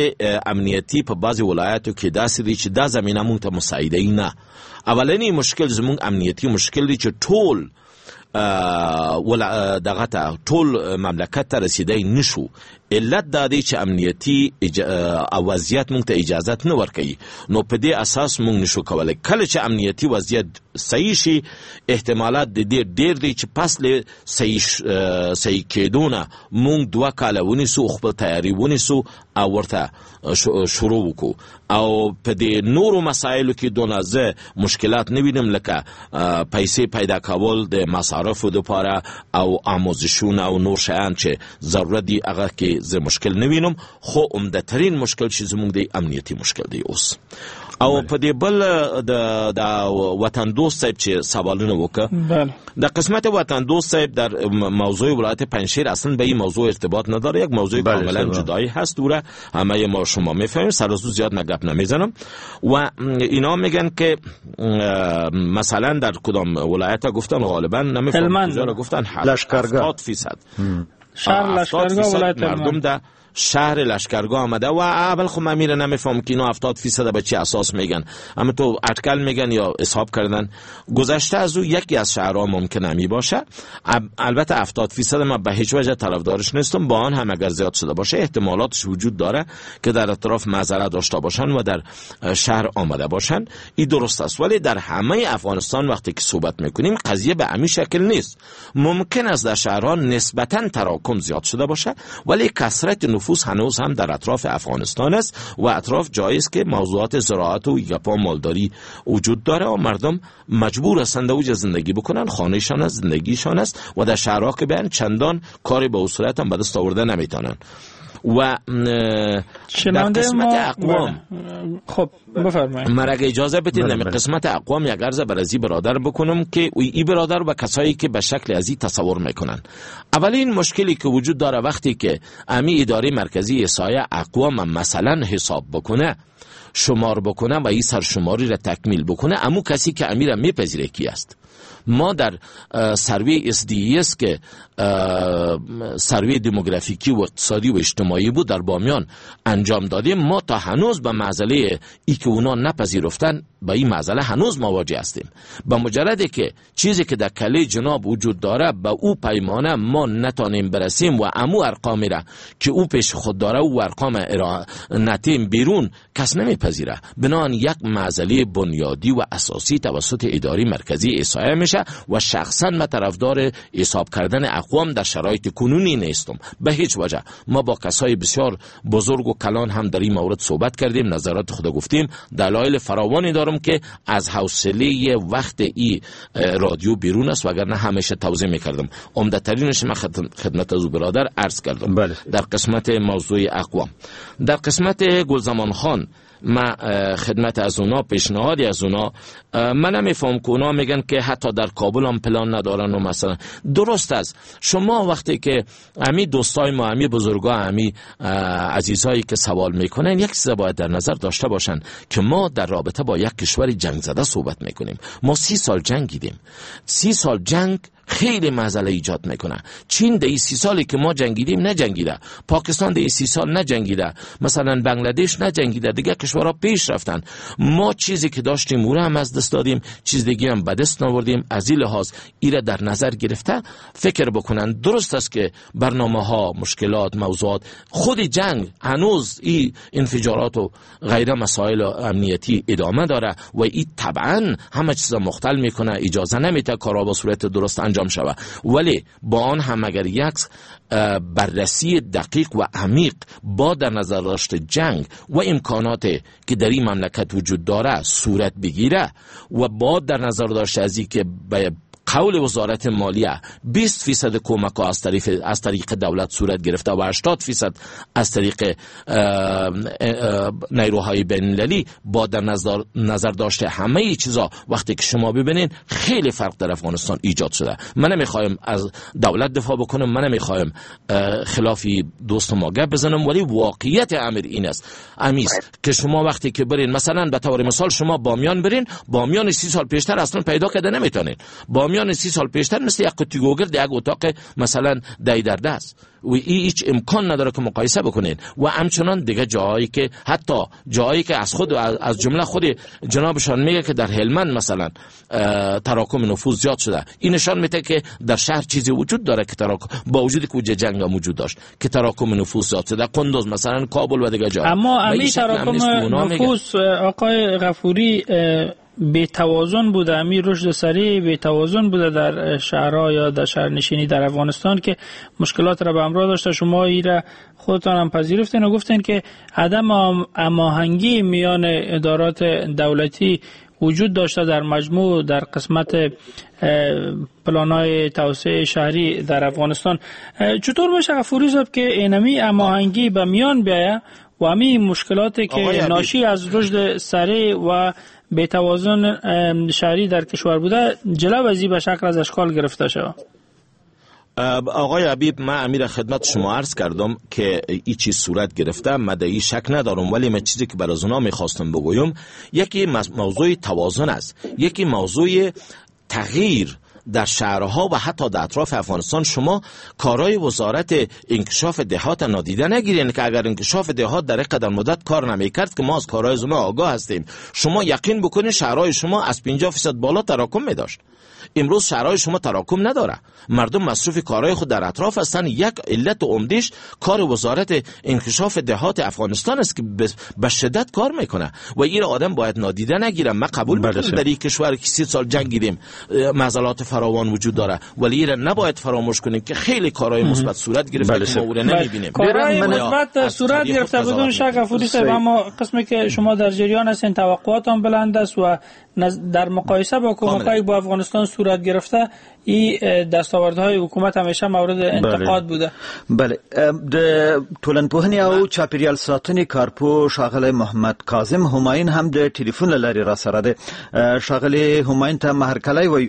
امنیتي په بعضې ولایاتو کې داسې دی چې دا زمینه مونږ ته مساعده نه. اولنی مشکل زمونږ امنیتي مشکل دی چې ټول دغه ته ټول مملکت ته رسیدای نشو. علت دا دی چې امنیتي وضعیت مونږ ته اجازه نه ورکوي، نو په دې اساس مونږ نشو کولی. کله چې امنیتي وضعیت صحیح شي، احتمالات د دې ډېر دی چې پس له صحیح کېدو نه مونږ 2 کاله ونیسو، خپل تیاری ونیسو او ورته شروع وکړو. او په دې نورو مسایلو کې دونه زه مشکلات نه وینم، لکه پیسې پیدا کول د مصارفو دپاره او آموزشونه او نور شیان چې ضرورت دي، هغه کې کې زه مشکل نه وینم، خو عمده ترین مشکل چې زموږ دی امنیتي مشکل دی اوس. او په دې بل د وطن دوست صاحب چې سوالونه وکړه، در قسمت وطن دوست صاحب در موضوع ولایت پنجشیر اصلا به این موضوع ارتباط نداره، یک موضوع کاملا جدایی هست، دوره همه ما شما میفهمیم، سر از زیاد من گپ نمیزنم. و اینا میگن که مثلا در کدام ولایت گفتن، غالبا نمیفهمم کجا را گفتن، 70% شهر لشکرگاه ولایت مردم در شهر لشکرگاه آمده. و اول خب من میره نمیفهم که اینا 70% به چه اساس میگن، اما تو اٹکل میگن یا حساب کردن. گذشته از او یکی از شهرها ممکن همی باشه، البته 70% من به هیچ وجه طرفدارش نیستم، با آن هم اگر زیاد شده باشه احتمالاتش وجود داره که در اطراف مزرعه داشته باشن و در شهر آمده باشن، این درست است. ولی در همه افغانستان وقتی که صحبت میکنیم قضیه به همین شکل نیست. ممکن است در شهرها نسبتا تراکم زیاد شده باشه، ولی کثرت نفوس هنوز هم در اطراف افغانستان است و اطراف جایی است که موضوعات زراعت و گپا مالداری وجود داره و مردم مجبور هستند اوج زندگی بکنن، خانهشان است، زندگیشان است، و در شهرها که بیان چندان کاری به صورت هم به دست آورده نمیتونن. و در قسمت اقوام، خب بفرمایید، من اگه اجازه بدید در قسمت اقوام یک عرض بر از این برادر بکنم که ای برادر و کسایی که به شکل از این تصور میکنن. اولین مشکلی که وجود داره وقتی که امی اداره مرکزی احصایه اقوام مثلا حساب بکنه، شمار بکنه و این سرشماری را تکمیل بکنه، امو کسی که امی را میپذیره کی است؟ ما در سروی SDS که سروی دموگرافیکی و اقتصادی و اجتماعی بود در بامیان انجام دادیم، ما تا هنوز به معضله ای که اونا نپذیرفتن با این معضله هنوز مواجه هستیم. به مجرد که چیزی که در کله جناب وجود داره به او پیمانه ما نتانیم برسیم و امو ارقامی را که او پیش خود داره و ارقام نتیم بیرون، کس نمیپذیره. بنابراین یک معضله بنیادی و اساسی توسط اداره مرکزی احصایه میشه و شخصا من طرفدار حساب کردن اقوام در شرایط کنونی نیستم به هیچ وجه. ما با کسای بسیار بزرگ و کلان هم در این مورد صحبت کردیم، نظرات خود گفتیم، دلایل فراوانی دارم که از حوصله وقت ای رادیو بیرون است، وگرنه همیشه توضیح میکردم. عمده ترینش من خدمت از برادر عرض کردم. بله. در قسمت موضوع اقوام، در قسمت گلزمان خان ما خدمت از اونا، پیشنهادی از اونا، من نمیفهم که اونا میگن که حتی در کابل هم پلان ندارن و مثلا درست است. شما وقتی که امی دوستای ما، امی بزرگا، امی عزیزایی که سوال میکنن، یک چیز باید در نظر داشته باشن که ما در رابطه با یک کشور جنگ زده صحبت میکنیم. ما 30 سال جنگیدیم، 30 سال جنگ خیلی مسئله ایجاد میکنه. چین در 30 سالی که ما جنگیدیم نجنگیده، پاکستان در 30 سال نجنگیده، مثلا بنگلادش نجنگیده، دیگه کشورها پیش رفتن. ما چیزی که داشتیم او را هم از دست دادیم، چیز دیگه هم به دست آوردیم. از این لحاظ ایره در نظر گرفته فکر بکنن. درست است که برنامه ها، مشکلات، موضوعات، خود جنگ هنوز این انفجارات و غیره مسائل امنیتی ادامه داره و این طبعا همه چیز مختل میکنه، اجازه نمیده کارا به صورت درست انجام شود. ولی با آن هم اگر یک بررسی دقیق و عمیق با در نظر داشت جنگ و امکانات که در این مملکت وجود داره صورت بگیره و با در نظر داشت از این که به قول وزارت مالیه 20% کمک ها از طریق دولت صورت گرفته و 80% از طریق نیروهای بین‌المللی، با در نظر داشته همه چیزا وقتی که شما ببینین خیلی فرق در افغانستان ایجاد شده. من نمیخوایم از دولت دفاع بکنم، من نمیخوایم خلافی دوست ما گپ بزنم، ولی واقعیت امر این است امیست که شما وقتی که برین مثلا به طور مثال شما بامیان برین، بامیان 30 سال پیشتر اصلا پیدا کرده نمیتونین. بامیان 30 سال پیشتر مثل یک قوطی گوگرد یک اتاق مثلا دای در دست و هیچ امکان نداره که مقایسه بکنین. و همچنان دیگه جایی که حتی جایی که از خود از جمله خود جنابشان میگه که در هلمند مثلا تراکم نفوذ زیاد شده، این نشان میده که در شهر چیزی وجود داره که تراکم با وجودی که جنگ هم وجود داشت که تراکم نفوذ زیاد شده، قندوز مثلا، کابل و دیگه جا. اما امی تراکم نفوذ آقای غفوری بی توازن بوده، امی رشد سریع بی توازن بوده در شهرها یا در شهرنشینی در افغانستان که مشکلات را به همراه داشته. شما ای را خودتان هم پذیرفتین و گفتین که عدم هماهنگی میان ادارات دولتی وجود داشته در مجموع در قسمت پلان‌های توسعه شهری در افغانستان. چطور میشه غفوری صاحب که اینمی هماهنگی به میان بیایه و همین مشکلاتی که ناشی از رشد سریع و بی توازن شهری در کشور بوده جلو ازی به شکل از اشکال گرفته شود؟ آقای حبیب، من امیر خدمت شما عرض کردم که ای چیز صورت گرفته، من در این شک ندارم، ولی من چیزی که بر از اونا میخواستم بگویم یکی موضوع توازن است، یکی موضوع تغییر در شهرها و حتی در اطراف افغانستان. شما کارهای وزارت انکشاف دهات نادیده نگیرین که اگر انکشاف دهات در قدر مدت کار نمیکرد که ما از کارهای زما آگاه هستیم، شما یقین بکنین شهرهای شما از 50% بالا تراکم میداشت. امروز شهرهای شما تراکم نداره، مردم مصروف کارهای خود در اطراف هستند. یک علت عمدهش کار وزارت انکشاف دهات افغانستان است که به شدت کار میکنه و این آدم باید نادیده نگیره. من قبول میکنم در این کشور که 30 سال جنگیدیم معضلات فراوان وجود داره، ولی این نباید فراموش کنیم که خیلی کارهای مثبت صورت گرفته که ما او را نمیبینیم. کارهای مثبت صورت گرفته بدون شک غفوری صاحب، اما قسمی که شما در جریان هستین توقعات هم بلند است و در مقایسه با کمک‌های با افغانستان صورت گرفته این دستاوردهای حکومت همیشه مورد انتقاد بوده. بله، د ټولنپوهنې او چاپیریال ساتنې کارپوه ښاغلی محمد کاظم همایون هم د ټلیفون له لارې را سره دی. ښاغلی همایون ته هرکلی وایو.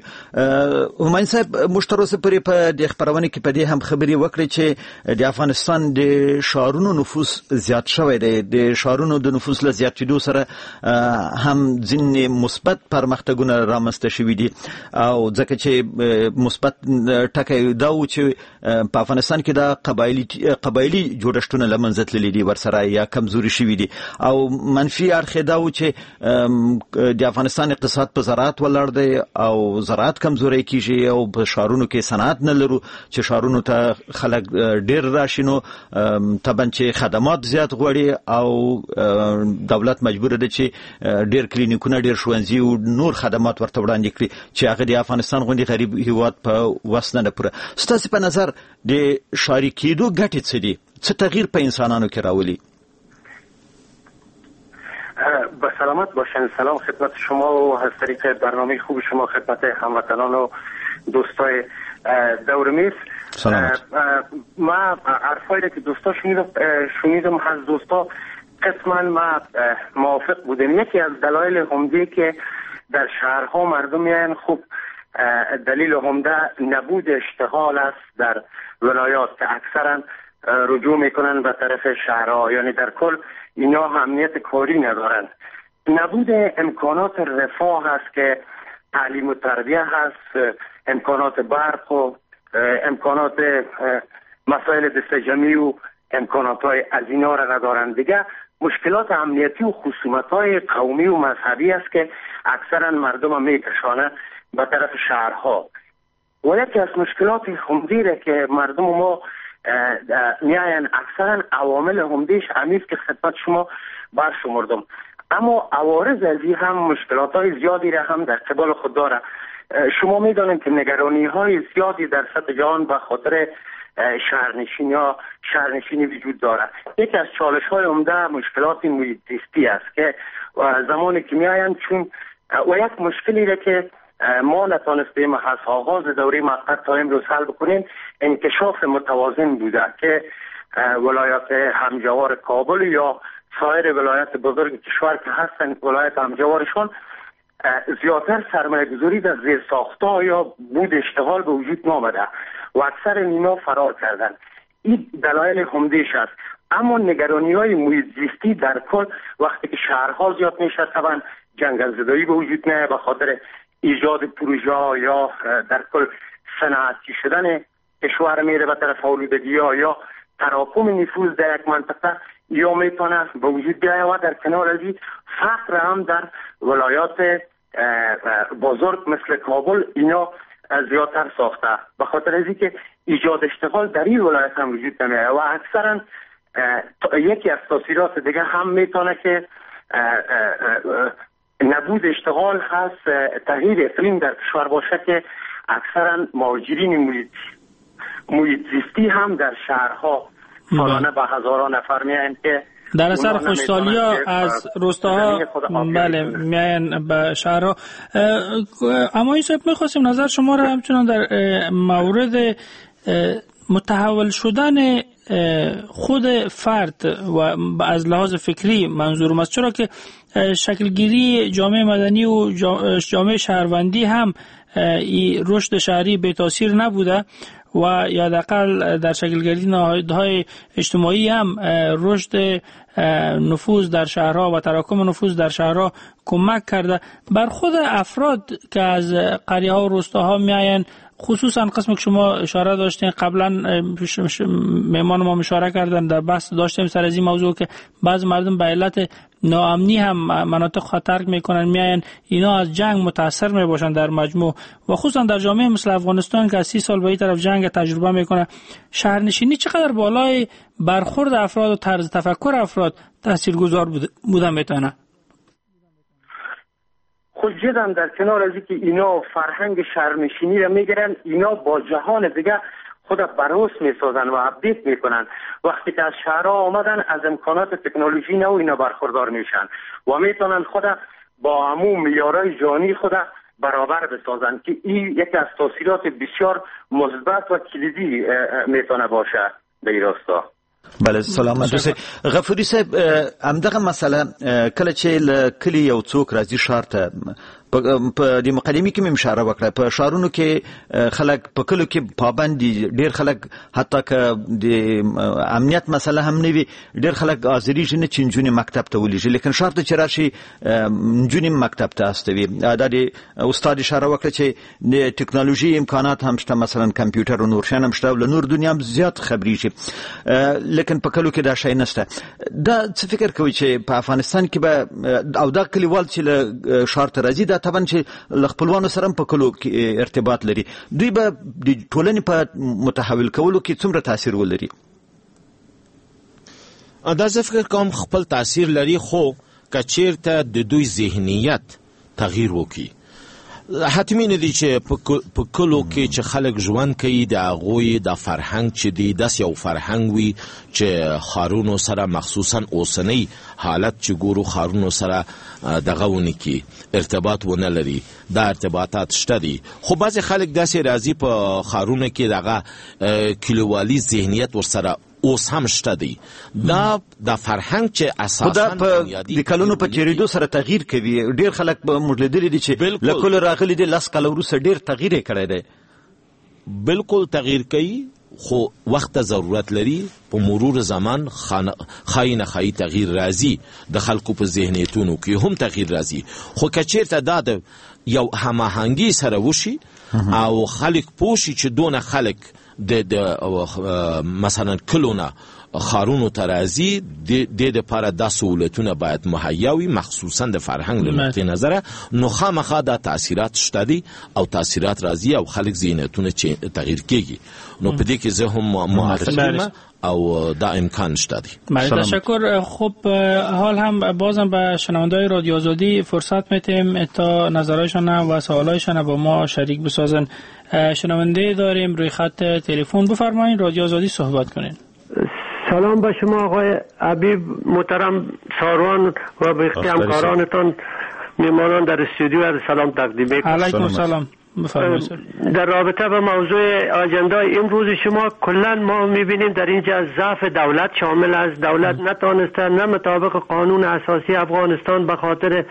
همایون صاحب، موږ تر اوسه پورې په دې خپرونه کې په دې هم خبرې وکړې چې د افغانستان د ښارونو نفوس زیات شوی دی. د ښارونو د نفوس له زیاتېدو سره هم ځینې مثبت پرمختګونه رامنځته شوي دي، او ځکه چې مثبت ټکی دا و چې په افغانستان کې دا قبایلی جوړښتونه له منځه تللي دي ورسره یا کمزوري شوي دي، او منفي اړخ یې دا و چې د افغانستان اقتصاد په زراعت ولاړ دی او زراعت کمزوری کیږي او په ښارونو کې صنعت نه لرو چې ښارونو ته خلک ډیر راشي، نو طبعا چې خدمات زیات غواړي او دولت مجبور دی چې ډیر کلینیکونه، ډیر ښوونځي او نور خدمات ورته وړاندې کړي چې هغه د افغانستان غوندې غریب هیواد په وس نه پوره. ستاسو په نظر د ښاري کېدو ګټې څه دي؟ څه تغییر په انسانانو کې راولي؟ با سلامت باشن. سلام خدمت شما و از طریق برنامه خوب شما خدمت هموطنان و دوستای دور میز. سلامت. ما حرفایی که دوستا شنیدم از دوستا قسما ما موافق بودم. یکی از دلایل عمده که در شهرها مردم میان، خب دلیل عمده نبود اشتغال است در ولایات که اکثرا رجوع میکنن به طرف شهرها، یعنی در کل اینا امنیت کاری ندارن. نبود امکانات رفاه هست که تعلیم و تربیه هست، امکانات برق و امکانات مسائل دستجمعی و امکانات های از اینا را ندارن. دیگه مشکلات امنیتی و خصومت های قومی و مذهبی است که اکثرا مردم میکشانه به طرف شهرها. و یکی از مشکلات عمده که مردم ما میاین اکثرا عوامل عمدهش همیست که خدمت شما برشمردم، اما عوارض از این هم مشکلات های زیادی را هم در قبال خود داره. شما میدانید که نگرانی های زیادی در سطح جهان به خاطر شهرنشینی یا شهرنشینی وجود داره. یکی از چالش های عمده مشکلات محیط زیستی است که زمانی که میاین چون و یک مشکلی را که ما نتانستیم از آغاز دوره موقت تا امروز حل بکنیم انکشاف متوازن بوده که ولایت همجوار کابل یا سایر ولایت بزرگ کشور که هستن ولایت همجوارشون زیادتر سرمایه گذاری در زیر ساخت‌ها یا بود اشتغال به وجود نامده و اکثر اینا فرار کردن. این دلایل عمده‌اش است. اما نگرانی‌های محیط زیستی در کل وقتی که شهرها زیاد میشه طبعا جنگل زدایی به وجود نه به خاطر ایجاد پروژه یا در کل صنعتی شدن کشور میره به طرف آلودگی یا تراکم نفوذ در یک منطقه یا میتونه به وجود بیاید و در کنار از این فقر هم در ولایات بزرگ مثل کابل اینا زیادتر ساخته به خاطر از اینکه ایجاد اشتغال در این ولایت هم وجود نمیاد و اکثرا یکی از تاثیرات دیگه هم میتونه که نبود اشتغال هست تغییر اقلیم در کشور باشه که اکثرا مهاجرین محیط زیستی هم در شهرها سالانه به هزاران نفر میاین که در اثر خشکسالی از روستاها بله میاین به شهرها. اما این صاحب میخواستیم نظر شما را همچنان در مورد متحول شدن خود فرد و از لحاظ فکری منظورم است، چرا که شکلگیری جامعه مدنی و جامعه شهروندی هم رشد شهری بی تاثیر نبوده و یا حداقل در شکلگیری نهادهای اجتماعی هم رشد نفوذ در شهرها و تراکم نفوذ در شهرها کمک کرده. بر خود افراد که از قریه ها و روستاها میآیند، خصوصا قسم که شما اشاره داشتین قبلا، مهمان ما اشاره کردن، در بحث داشتیم سر از این موضوع که بعض مردم به علت ناامنی هم مناطق خود ترک میکنن میاین، اینا از جنگ متاثر میباشن در مجموع و خصوصا در جامعه مثل افغانستان که از 30 سال به این طرف جنگ تجربه میکنه، شهرنشینی چقدر بالای برخورد افراد و طرز تفکر افراد تاثیرگذار بوده میتونه؟ خود جدا در کنار از اینکه اینا فرهنگ شهرنشینی را میگیرن، اینا با جهان دیگه خود بروس میسازن و update میکنن. وقتی که از شهرها آمدن از امکانات تکنولوژی نو اینا برخوردار میشن و میتونن خود با عموم معیارهای جهانی خود برابر بسازن که این یکی از تاثیرات بسیار مثبت و کلیدی میتونه باشه به این راستا. بله سلامت اوسئ. غفوري صاحب، همدغه مسله کله چې له کلي یو څوک راځي ښار ته، په دې مقدمې کې مې اشاره وکړه، په ښارونو کې خلک په کلو کې پابند دي، ډېر خلک حتی که د امنیت مسله هم نه وي ډېر خلک حاضرېږي نه چې نجونې مکتب ته ولېږي، لیکن ښار ته چې راشي نجونې مکتب ته استوي. دا د استاد اشاره وکړه چې د ټکنالوژي امکانات هم شته، مثلا کمپیوټر او نور شیان هم شته او له نور دنیا هم زیات خبرېږي، لیکن په کلو کې دا شی نشته. دا څه فکر کوي چې په افغانستان کې به او دا کلیوال چې له ښار ته راځي، دا طبعا چې له خپلوانو سره هم په کلو کې ارتباط لري، دوی به د ټولنې په متحول کولو کې څومره تاثیر ولري؟ دا زه فکر کوم خپل تاثیر لري، خو که چیرته د دوی ذهنیت تغییر وکړي. حتمي نه دی چې په کلو کې چې خلک ژوند کوي د هغوی د فرهنګ چې دی داسې یو فرهنګ وي چې ښارونو سره مخصوصا اوسنی حالت چې ګورو ښارونو سره دغه ونه کړي، ارتباط ونه لري. دا ارتباطات شته دي، خو بعضې خلک داسې راځي په ښارونو کې دغه کلیوالي ذهنیت ورسره اوس هم شته دی. دا د فرهنګ چې اساسا د کلونو په تېرېدو سره تغییر کوي. ډېر خلک موږ لیدلي دي چې له کلو راغلي دي، 10 کاله وروسته ډېر تغییر یې کړی دی. بالکل تغییر کوي، خو وخت ته ضرورت لري. په مرور زمان ښایي نه ښایي تغییر راځي، د خلکو په ذهنیتونو کې هم تغییر راځي. خو که چېرته دا د یو هماهنګي سره وشي او خلک پوه شي چې دونه خلک د مثلا کلونه ښارونو ته راځي، د دې لپاره دا سهولتونه باید مهیا وي، مخصوصا د فرهنګ له نقطې نظره. نو خامخا دا تاثیرات شته دي او تاثیرات راځي او خلک ذهنیتونه چې تغییر کیږي. نو په دې کې زه هم موافق یم او دا امکان شته دی. تشکر. خب حال هم بازم به شنونده‌های رادیو آزادی فرصت میتیم تا نظرهایشان و سوالایشان با ما شریک بسازن. شنونده داریم روی خط تلفن، بفرمایید رادیو آزادی صحبت کنین. سلام به شما آقای حبیب محترم ساروان و به همکارانتان میمانان در استودیو عرض سلام تقدیم میکنم. علیکم سلام. در رابطه با موضوع آجندای امروز شما، کلا ما میبینیم در اینجا ضعف دولت شامل است. دولت نتانسته نه مطابق قانون اساسی افغانستان به خاطر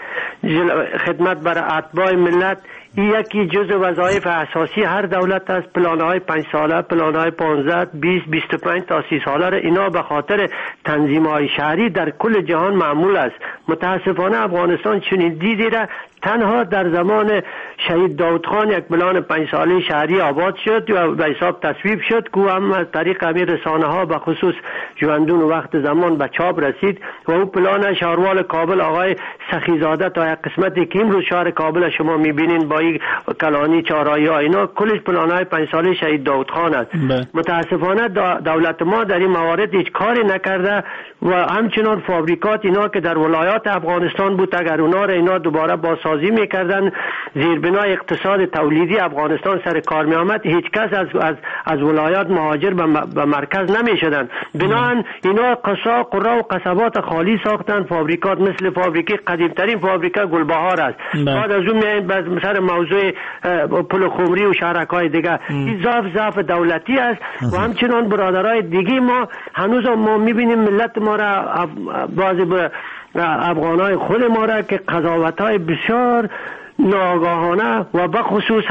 خدمت بر اتباع ملت، یکی جزء وظایف اساسی هر دولت است. پلان‌های 5 ساله، پلان‌های 15، 20، 25 تا 30 ساله را اینا به خاطر تنظیم‌های شهری در کل جهان معمول است. متاسفانه افغانستان چنین دیدی را تنها در زمان شهید داود خان یک پلان 5 ساله شهری آباد شد و به حساب تصویب شد که هم از طریق همین رسانه ها به خصوص ژوندون وقت زمان به چاپ رسید و او پلان شهروال کابل آقای سخیزاده تا یک قسمتی که امروز شهر کابل شما میبینین با چهارراهی کلانی، چهارراهی ها، اینا کلش پلان‌های 5 ساله شهید داود خان است. متاسفانه دولت ما در این موارد هیچ کاری نکرده و همچنان فابریکات اینا که در ولایات افغانستان بود اگر اونا را اینا دوباره بازسازی میکردن، زیربنای اقتصاد تولیدی افغانستان سر کار می آمد، هیچ کس از ولایات مهاجر به مرکز نمی شدن. بنابراین اینا قصا قرا و قصبات خالی ساختن، فابریکات مثل فابریکه قدیمترین فابریکه گلبهار است. بعد از اون میایم سر موضوع پل خمری و شهرک‌های دیگه. این ضعف دولتی است و همچنان برادرای دیگه ما هنوز ما میبینیم ملت ما را، بعضی افغانای خود ما را که قضاوت‌های بسیار ناآگاهانه و به خصوص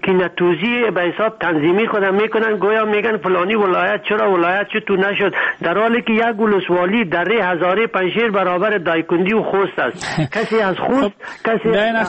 کینه‌توزی به حساب تنظیمی خودم میکنن، گویا میگن فلانی ولایت چرا ولایت چطور نشد، در حالی که یک ولسوالی دره هزاره پنجشیر برابر دایکندی و خوست است. کسی از خوست، کسی از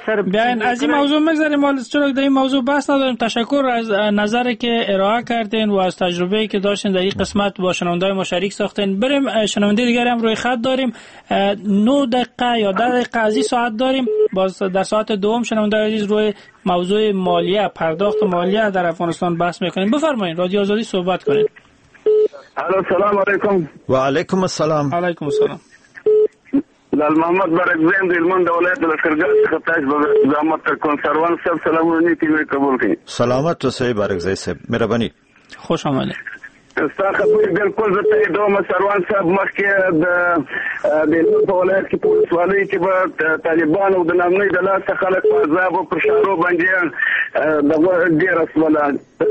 سر بیاین از این موضوع میگذریم، چرا در این موضوع بحث نداریم. تشکر از نظری که ارائه کردین و از تجربه‌ای که داشتین در این قسمت با شنونده‌های ما شریک ساختین. بریم شنونده دیگر هم روی خط داریم، 9 دقیقه یا 10 دقیقه از این ساعت داریم. باز در ساعت دوم شنونده عزیز روی موضوع مالیه، پرداخت مالیه در افغانستان بحث میکنیم. بفرمایید رادیو آزادی صحبت کنید. الو، سلام علیکم. و علیکم السلام. علیکم السلام. لال محمد برکزی د هلمند د ولایت لښکرګاه څخه تاسو به زحمت کوم. سروان صاحب سلامونه نیکي مې قبول کړئ. سلامت اوسئ برکزی صاحب، مهرباني. خوش آمدید. ستا خبرې بالکل زه تاییدوم سروان صاحب. مخکې د هلمند په ولایت کې په ولسوالۍ کې به طالبانو د نامنۍ د لاسه خلک په عذاب او پر شارو باندې دغه ډېره سوله.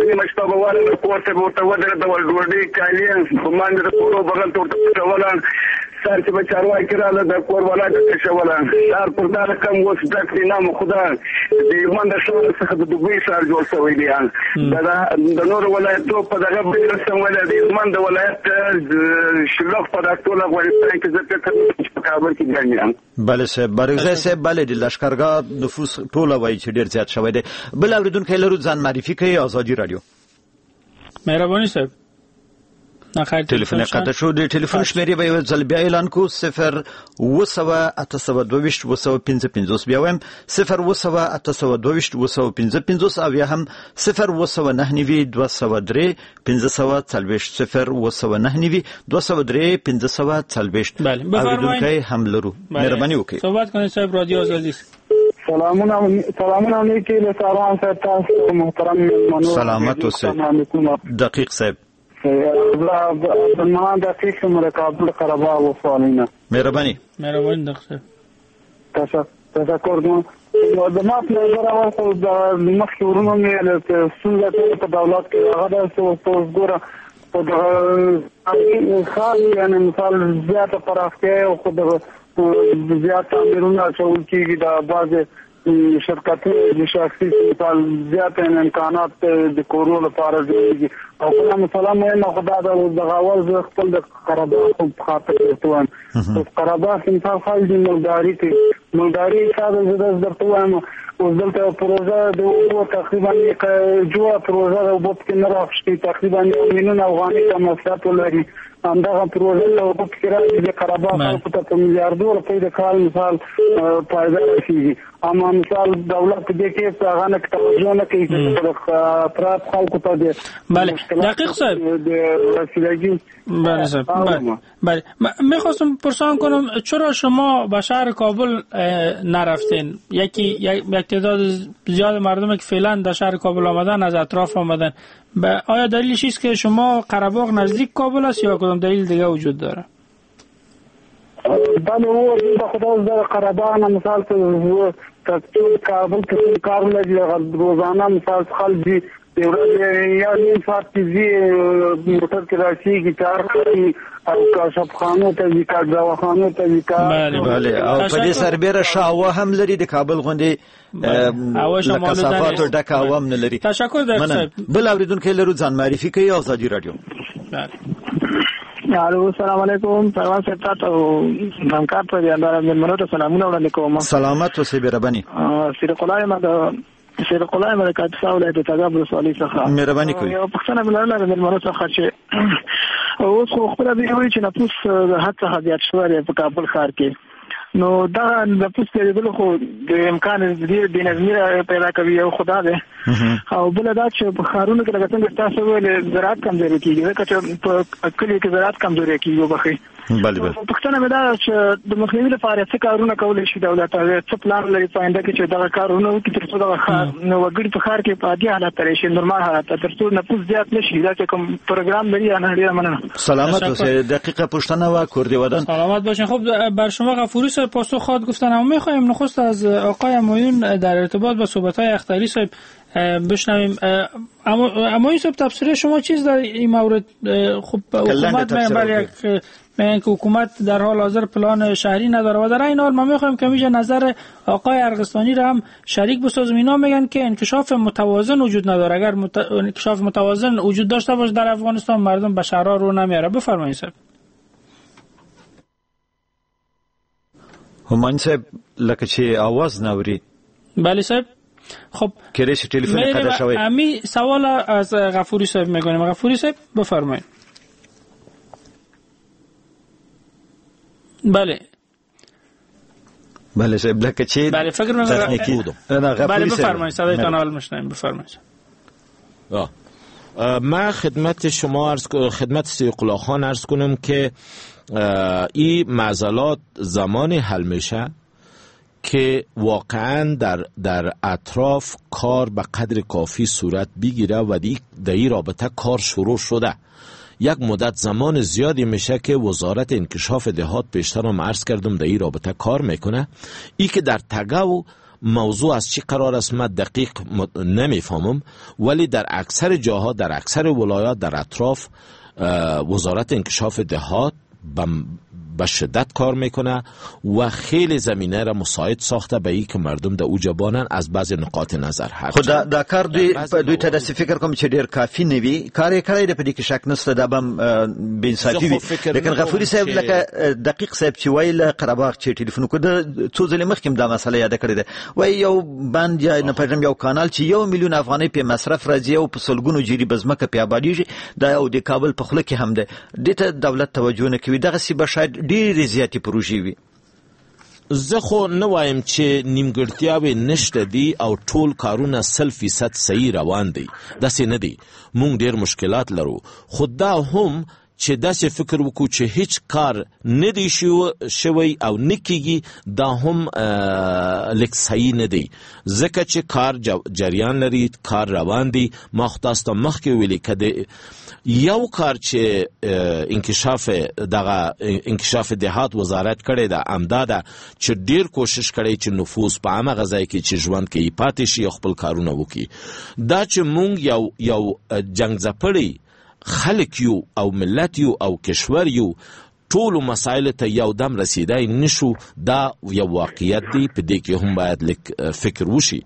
نیمه شپه به ورغله کور ته به ورته ودرېدول، ډوډۍ کالي په باندې د کورو بغل ته ورته پټوله. سهار چې به چارواکي راغله د کور والا ته کشوله. ښار پر دا رقم اوس ډک دی، نام خدا د هلمند د ښار څخه د دوبۍ ښار جوړ شوی دی. د نورو ولایتو په دغه بل رسم ویل د هلمند د ولایت شلوغ په دا ټول افغانستان کې زه فکر کوم چې په کابل کې ګڼ یم. بله صاحب، برکزی صاحب، بله د لښکرګاه نفوس ټوله وایي چې ډېر زیات شوی دی. بل اورېدونکی لرو، ځان معرفي کوي. ازادي رادیو. مهرباني صاحب. تلفن قطع شو. د ټلیفون شمیرې به یو ځل بیا اعلان کو، 0 800 822 855. بیا وایم 0 800 822 855 او یا هم 0 899 203 540 0 899 203 540. اورېدونکی هم لرو، مهرباني وکړئ صحبت کنید صاحب. رادیو آزادی. سلامونه نیکي له سروان صاحب، تاسو محترم میلمنو. سلامت اوسئ دقیق صاحب. عبدالمنان دقیق یم له کابل قرهباغ ولسوالۍ نه. مهرباني. مهرباني دقیق صاحب، تشکر. د ما په نظر اول خو د مخکې وروڼو مې ستونزه ټوله په دولت کې هغه ده چې اوس ګوره په دغه ښار یعنې مثال زیاته پراختیا او خو دغه زیات تعمیرونه اچول کېږي، د بعضې شرکتونه د شخصي مثال زیات امکانات د کورو لپاره جوړېږي. او بله مسله مهمه خو دا ده دغه اول زه خپل د قرهباغ په خاطر درته وایم. اوس قرهباغ کې مثال خلک دي مالداري کوي، مالداري حساب زه داسې درته وایم اوس دلته یوه پروژه د اوبو تقریبا جوړه پروژه د اوبو پکې نه راخوشي، تقریبا 1 میلیون افغانۍ که مصرف ولري. همدغه پروژه له اوبو پکې راځي د قرهباغ خلکو ته په میلیاردو روپۍ د کال مثال فایده رسېږي. اما مثال دولت دې کې هغه نه توجه نه کوي چې اطراف خلکو ته د بله. دقیق صاحب د رسیدگی. بله صاحب، بله. میخواستم پرسان کنم چرا شما به شهر کابل نرفتین؟ یک تعداد زیاد مردم که فعلا در شهر کابل آمدن از اطراف آمدن، آیا دلیلش است که شما قرهباغ نزدیک کابل است یا کدام دلیل دیگه وجود داره؟ بله، او د خدا د قرهباغ نه مثال ته کابل کې کار لري، روزانه مثال خلک دي د ورځې یا نیم ساعت کې ځي موټر کې راسیږي، کار کوي او کاشفخانو ته ځي، دواخانو ته ځي. بله. او په دې سربېره ښه هوا هم لري، د کابل غوندې له کثافاتو ډکه هوا هم نه لري. تشکر دقیق صاحب. بل اورېدونکی لرو، ځان معرفي کوي. ازادي رادیو. الو، سلام علیکم پروان صاحب، تاسو همکار ته د مېلمنو ته سلامونه وړاندې کوم. سلامت اوسئ، مهرباني. سیرقلای ما د کاپیسا ولایت د تګاب ولسوالۍ څخه. مهرباني کوئ. یوه پوښتنه مې لرله د مېلمنو څخه چې اوس خو خپله دوی وایي چې نفوس د حد څخه زیات شوی دی په کابل ښار کې، نو دا نفوس ډېرېدل خو د امکان ډېر بې نظمي پیدا کوي، یو خدا ده. او بل دا چې په ښارونو کې لکه څنګه تاسو ویل زراعت کمزوري کیږي، ځکه چې په کلیو کې زراعت کمزوري کیږي. وبخښئ. بله بله. پوښتنه مې دا چې د مخنیوي لپاره څه کارونه کولی شي دولت او څه پلان لري په آینده کې چې دغه کارونه وکړي ترڅو دغه ښار نو وګړي په ښار کې په عادي حالت ته راشي، نورمال حالت ته، ترڅو نفوس زیات نشي؟ دا چې کوم پروګرام لري یا نه؟ ډیره مننه. سلامت اوسئ. دقیقه پوښتنه و کور دی ودان. سلامت باشین. خب بر شما غفوری صاحب پاسخ خواهد گفتن، اما میخوایم نخست از آقای همایون در ارتباط با صحبت‌های اختری صاحب بشنویم. اما این صاحب تبصره شما چیز در این مورد؟ خب حکومت میگن که حکومت در حال حاضر پلان شهری نداره و در این حال ما میخوایم که میشه نظر آقای ارغستانی را هم شریک بسازیم. اینا میگن که انکشاف متوازن وجود نداره. اگر انکشاف متوازن وجود داشته باشه در افغانستان مردم به شهرها رو نمیاره. بفرمایید صاحب. همایون صاحب لکه چې आवाज نه اوري. بله صاحب. خب کله چې تلفن قطع شوی. امی سوال از غفوری صاحب میگونیم. غفوری صاحب بفرمایید. بله بله صاحب لکه چې بله فکر می‌کنم. بله بفرمایید، صدایتان حال میشنویم. بفرمایید. من خدمت شما عرض خدمت سیقلا خان عرض کنم که این معضلات زمانی حل میشه که واقعا در اطراف کار به قدر کافی صورت بگیره و در این رابطه کار شروع شده. یک مدت زمان زیادی میشه که وزارت انکشاف دهات پیشتر هم عرض کردم در این رابطه کار میکنه. ای که در تگو موضوع از چی قرار است من دقیق نمیفهمم، ولی در اکثر جاها، در اکثر ولایات، در اطراف وزارت انکشاف دهات به شدت کار میکنه و خیلی زمینه را مساعد ساخته به این که مردم در اوجا بانن از بعض نقاط نظر. هر خو دا کار دوی ته داسې فکر کوم چې ډیر کافي نه وي. کار یې کړی دی، په دې کې شک نشته، دا به هم بې انصافي وي. لیکن غفوري صاحب لکه دقیق صاحب چې وایي له قرهباغ چې ټلیفون وکړ، څو ځلې مخکې هم دا مسله یاده کړې ده، وایي یو بند یا نه پوهېږم یو کانال چې 1 میلیون افغانۍ پې مصرف راځي او په سلګونو جریبه ځمکه پې آبادېږي، دا او د کابل په خوله کې هم ده، دې ته دولت توجه نه کوي. دغسې به شاید ډېرې زیاتې پروژې وي. زه خو نه وایم چې نیمګړتیاوې نشته دي او ټول کارونه 100% صحیح روان دي، داسې نه دي. مونږ ډېر مشکلات لرو، خو دا هم چې داسې فکر وکړو چې هیڅ کار نه دی شوی او نه کیږي، دا هم لږ صحیح نه دی، ځکه چې کار جریان لري، کار روان دی. ما خو تاسو ته مخکې ویلي که یو کار چې انکشاف دغه انکشاف دهات وزارت کړی ده همدا ده چې ډیر کوشش کړی چې نفوس په هماغه ځای کې چې ژوند کوي پاتې شي او خپل کارونه وکړي. دا چې مونږ یو جنگ ځپلی خلک یو او ملت یو او کشور یو، ټولو مسایل ته یو دم رسیدای نشو، دا یو واقعیت دی. په دې کې هم باید لږ فکر وشي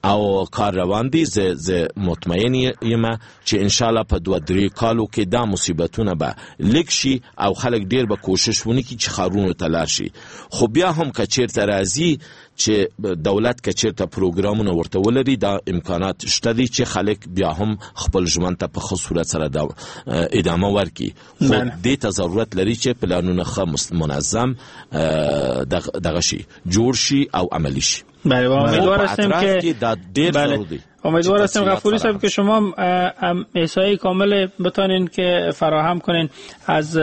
او کار روان دی. زه مطمئن یم چې انشاءالله په 2-3 کالو کې دا مصیبتونه به لږ شي او خلک ډیر به کوشش ونکړي چې ښارونو ته لاړ شي. خو بیا هم که چیرته راځي چې دولت که چیرته پروګرامونه ورته ولري، دا امکانات شته دي چې خلک بیا هم خپل ژوند ته په ښه صورت سره ادامه ورکړي. خو دې ته ضرورت لري چې پلانونه ښه منظم دغه شي، جوړ شي او عملی شي. بله، امیدوار هستیم که بله، امیدوار هستیم غفوری صاحب که شما احصایه کامل بتانین که فراهم کنین از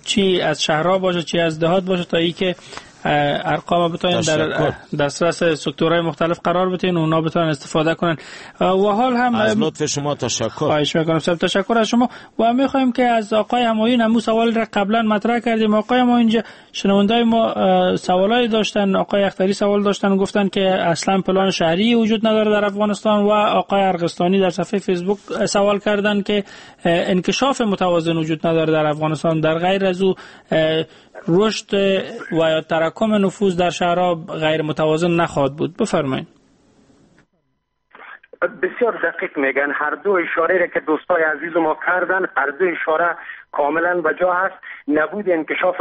چی از شهرها باشه چی از دهات باشه، تا ای که ارقام بتونین در دسترس سکتورهای مختلف قرار بدین، اونا بتونن استفاده کنن. و حال هم از لطف شما تشکر. خواهش میکنم صاحب، تشکر از شما. و میخوایم که از آقای همایون همون سوال را قبلا مطرح کردیم. آقای همایون شنوندای ما سوالایی داشتن، آقای اختری سوال داشتن، گفتن که اصلا پلان شهری وجود نداره در افغانستان، و آقای ارغستانی در صفحه فیسبوک سوال کردن که انکشاف متوازن وجود نداره در افغانستان، در غیر از او رشد و یا تراکم نفوذ در شهرها غیر متوازن نخواهد بود. بفرمایید. بسیار دقیق میگن. هر دو اشاره را که دوستای عزیز ما کردن، هر دو اشاره کاملا بجا هست. نبود انکشاف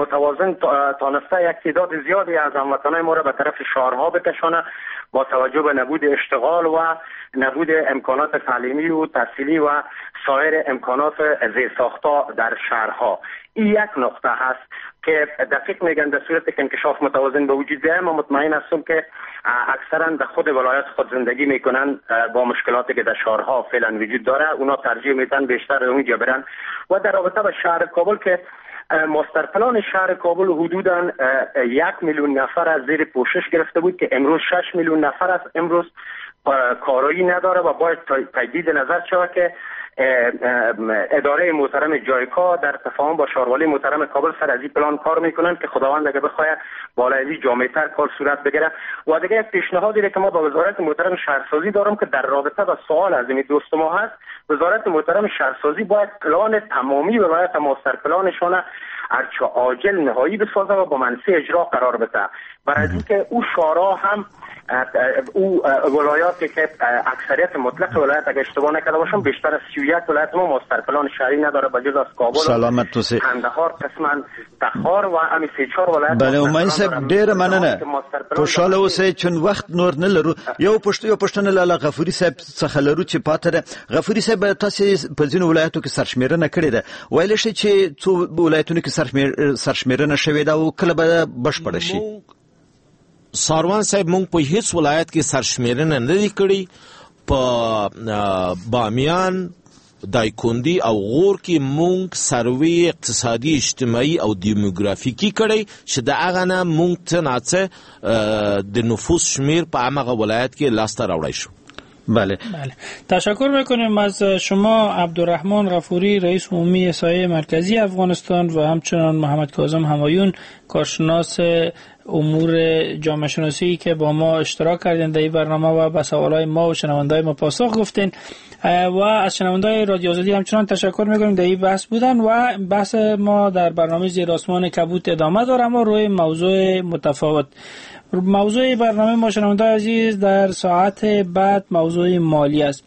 متوازن تانسته یک تعداد زیادی از هموطنان ما را به طرف شهرها بکشانه، با توجه به نبود اشتغال و نبود امکانات تعلیمی و تحصیلی و سایر امکانات زیرساخت‌ها در شهرها. این یک نقطه هست که دقیق میگن در صورت که انکشاف متوازن به وجود بیاید، ما مطمئن هستم که اکثرا در خود ولایت خود زندگی میکنن، با مشکلاتی که در شهرها فعلا وجود داره اونا ترجیح میدن بیشتر اونجا برن. و در رابطه با شهر کابل که ماستر پلان شهر کابل حدوداً 1 میلیون نفر از زیر پوشش گرفته بود که امروز 6 میلیون نفر است، امروز کارایی نداره و باید تجدید نظر شود که اداره محترم جایکا در تفاهم با شاروالی محترم کابل سر از این پلان کار میکنن که خداوند اگه بخواه بالای از این جامع‌تر کار صورت بگیره. و دیگه یک پیشنهادی که ما با وزارت محترم شهرسازی دارم که در رابطه با سوال از این دوست ما هست، وزارت محترم شهرسازی باید پلان تمامی ولایت ماستر پلانشان هرچه عاجل نهایی بسازه و با منصه اجرا قرار بده، برای اینکه او شورا هم او ولایاتی که اکثریت مطلق ولایت اگه اشتباه نکرده باشم بیشتر از 31 ولایت ما ماستر پلان شهری نداره بجز از کابل، سلامت توسه، قندهار، قسما تخار و همین 3-4 ولایت. بله همایون صاحب ډیره مننه، خوشاله اوسئ چون وخت نور نه لرو. یو پوښتنه لالا غفوري صاحب څخه لرو چې پاتې ده. غفوري صاحب، تاسو په ځینو ولایتو کې سرشمیرنه کړې ده، ویلی شئ چې څو ولایتونو کې سرشمیرنه شوې ده او کله به بشپړه شي؟ ساروان صاحب، مونږ په هیڅ ولایت کې سرشمیرنه نه دی کړی. په بامیان، دایکندي او غور کې مونږ سروې اقتصادي، اجتماعي او دیموګرافیکي کړی چې د هغه نه مونږ څه ناڅه د نفوس شمیر په همغه ولایت کې لاسته راوړی شو. بله. تشکر میکنیم از شما عبدالرحمن غفوری، رئیس عمومی سایه مرکزی افغانستان، و همچنان محمد کاظم همایون، کارشناس امور جامعه شناسی که با ما اشتراک کردین در این برنامه و به سوالای ما و شنوندای ما پاسخ گفتین. و از شنوندای رادیو آزادی همچنان تشکر میکنیم در این بحث بودن و بحث ما در برنامه زیر آسمان کبود ادامه داره، اما روی موضوع متفاوت. موضوع برنامه ما شنوندای عزیز در ساعت بعد موضوع مالی است.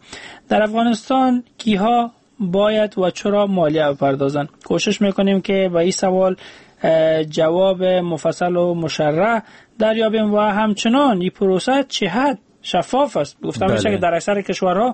در افغانستان کیها باید و چرا مالیه بپردازند؟ کوشش میکنیم که به این سوال جواب مفصل و مشرح دریابیم و همچنان این پروسه چه حد شفاف است. گفتم میشه که در اکثر کشورها